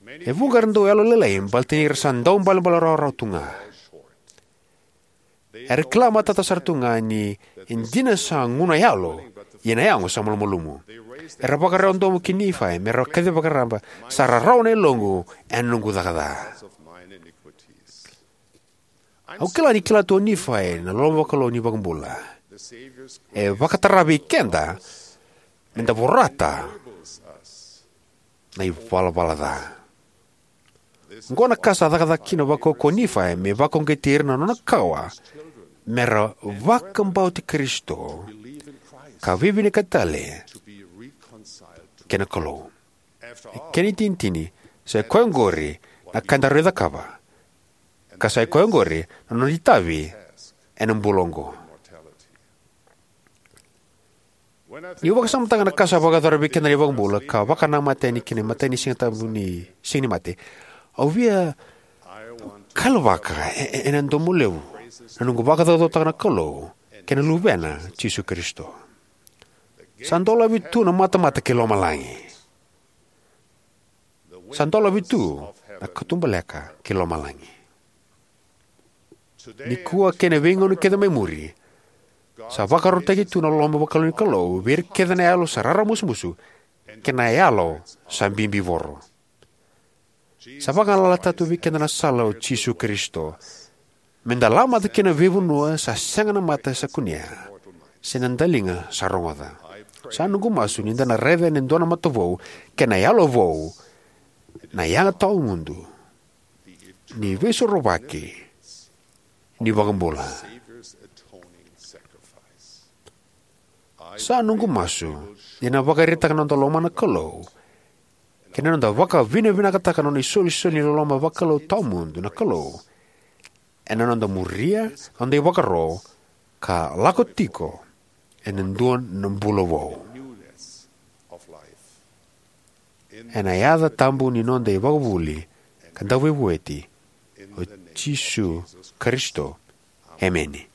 E vuqa era dau yalolailai baleta ni ra sa dau balebale rawarawa tu ga. Era kila matata sara tu ga ni dina sa gu na yalo, ia na yago sa malumalumu. Era vakarawa domo ki Nifai mera kacivaka raba, sa rarawa na yaloqu ena noqu caka ca. Au kila ni kila tu o Nifai na loloma vakalou ni iVakabula. E vakatara vei keda meda vorata na ivalavala ca. Oqo na ka sa cakacaka kina vakaukauwa o Nifai me vakauqeti ira na nona kawa mera vakabauti Karisito ka veivinakati tale kei na Kalou. E kena itinitini, sa i koya oqori na ka eda rawa ni cakava, ka sa i koya oqori na nona itavi ena bula oqo. Niu vakasamataka na ka sa vakayacora vei keda na iVakabula ka vakanamata yani ki na imatai ni Siga Tabu ni Siga ni Mate, au via kalavaka e- e- ena domo levu na noqu vakacaucautaka na Kalou kei na Luvena, Jisu Karisito. Sa dolavi tu na matamata ki lomalagi. Sa dolavi tu na katubaleka ki lomalagi. Nikua kei na veigauna kece mai muri, sa vakarautaki tu na loloma vakalou ni Kalou vei ira kece na yalo sa raramusumusu kei na yalo sa bibivoro. Sa vagalalataka tu vei keda na sala o Jisu Karisito, meda lamata ki na veivanua sa sega na mata sa kunea, se na daliga sa rogoca. Sa noqu masu ni da na raica ena dua na mata vou kei na yalo vou na yaga tawamudu ni Veisorovaki ni iVakabula. Sa noqu masu ni na vakaraitaka na noda lomana na Kalou kei na noda vakavinavinakataka na nona isolisoli ni loloma vakalou tawamudu na Kalou ena noda muria na noda ivakaro ka lako tiko ena dua na bula vou. Ena yaca tabu ni noda iVakavuvuli ka Dauveivueti, o Jisu Karisito, emeni.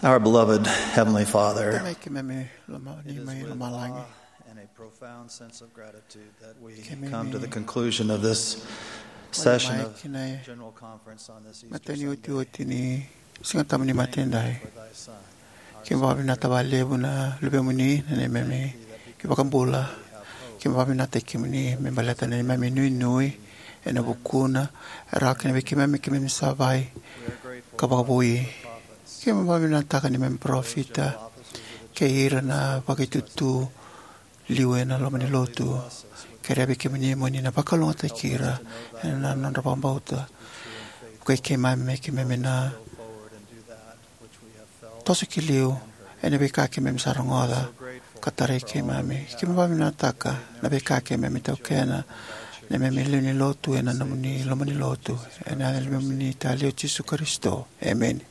Our beloved Heavenly Father, Tamai keimami loma, ni mai lomalagi. And a profound sense of gratitude that we Keimami come to the conclusion of this session mai of kina General Conference on this Easter matani Sunday. Otioti ni Siga Tabu ni Mate Edai. For thy Son, our Keimami vakavinata vakalevu na luvemuni, na neimami iVakabula. Keimami vakavinata kemuni me baleta na neimami nuinui ena vukuna, e rawa kina vei keimami, keimami savai ka vakavoui. Keimami vakavinavinakataka neimami parofita kei ira na vakaitutu liu ena loma ni lotu. Kerea vei kemuni mo ni na vakalougatataki ira ena nodra vakabauta. Vukei keimami me keimami na toso ki liu ena veika keimami sa rogoca ka tarai keimami. Keimami vakavinavinakataka na veika keimami taukena, neimami lewe ni lotu ena nomuni loma ni lotu. Ena yaca ni neimami Tama o Jisu Karisito. Emeni.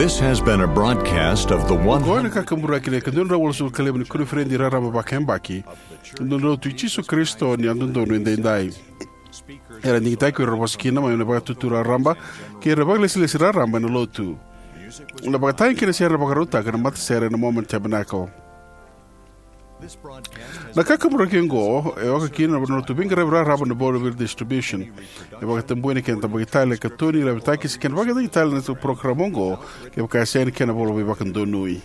This has been a broadcast of the one hundred. Oqo na kakaburaki ni ika dua na drau walusagavulu ka lima ni koniferedi raraba vakayabaki ni Lotu i Jisu Karisito ni Yalododonu Edaidai. Era digitaki ko ira era vosa kina mai na vakatutu raraba kei ira vakalesilesi raraba ena Lotu. Na vakatagi kei na sere era vakarautaka ena matasere ena Mormon Tabernacle. Na kakaburaki oqo e oka kina na nodratou veiqaravi raraba na Vauvili Distribution. E vakatabuya na kena tabaki tale, katoni, laveti se kena vakataki tale na parokaramu oqo kevaka e sega na kena ivola veivakadonui.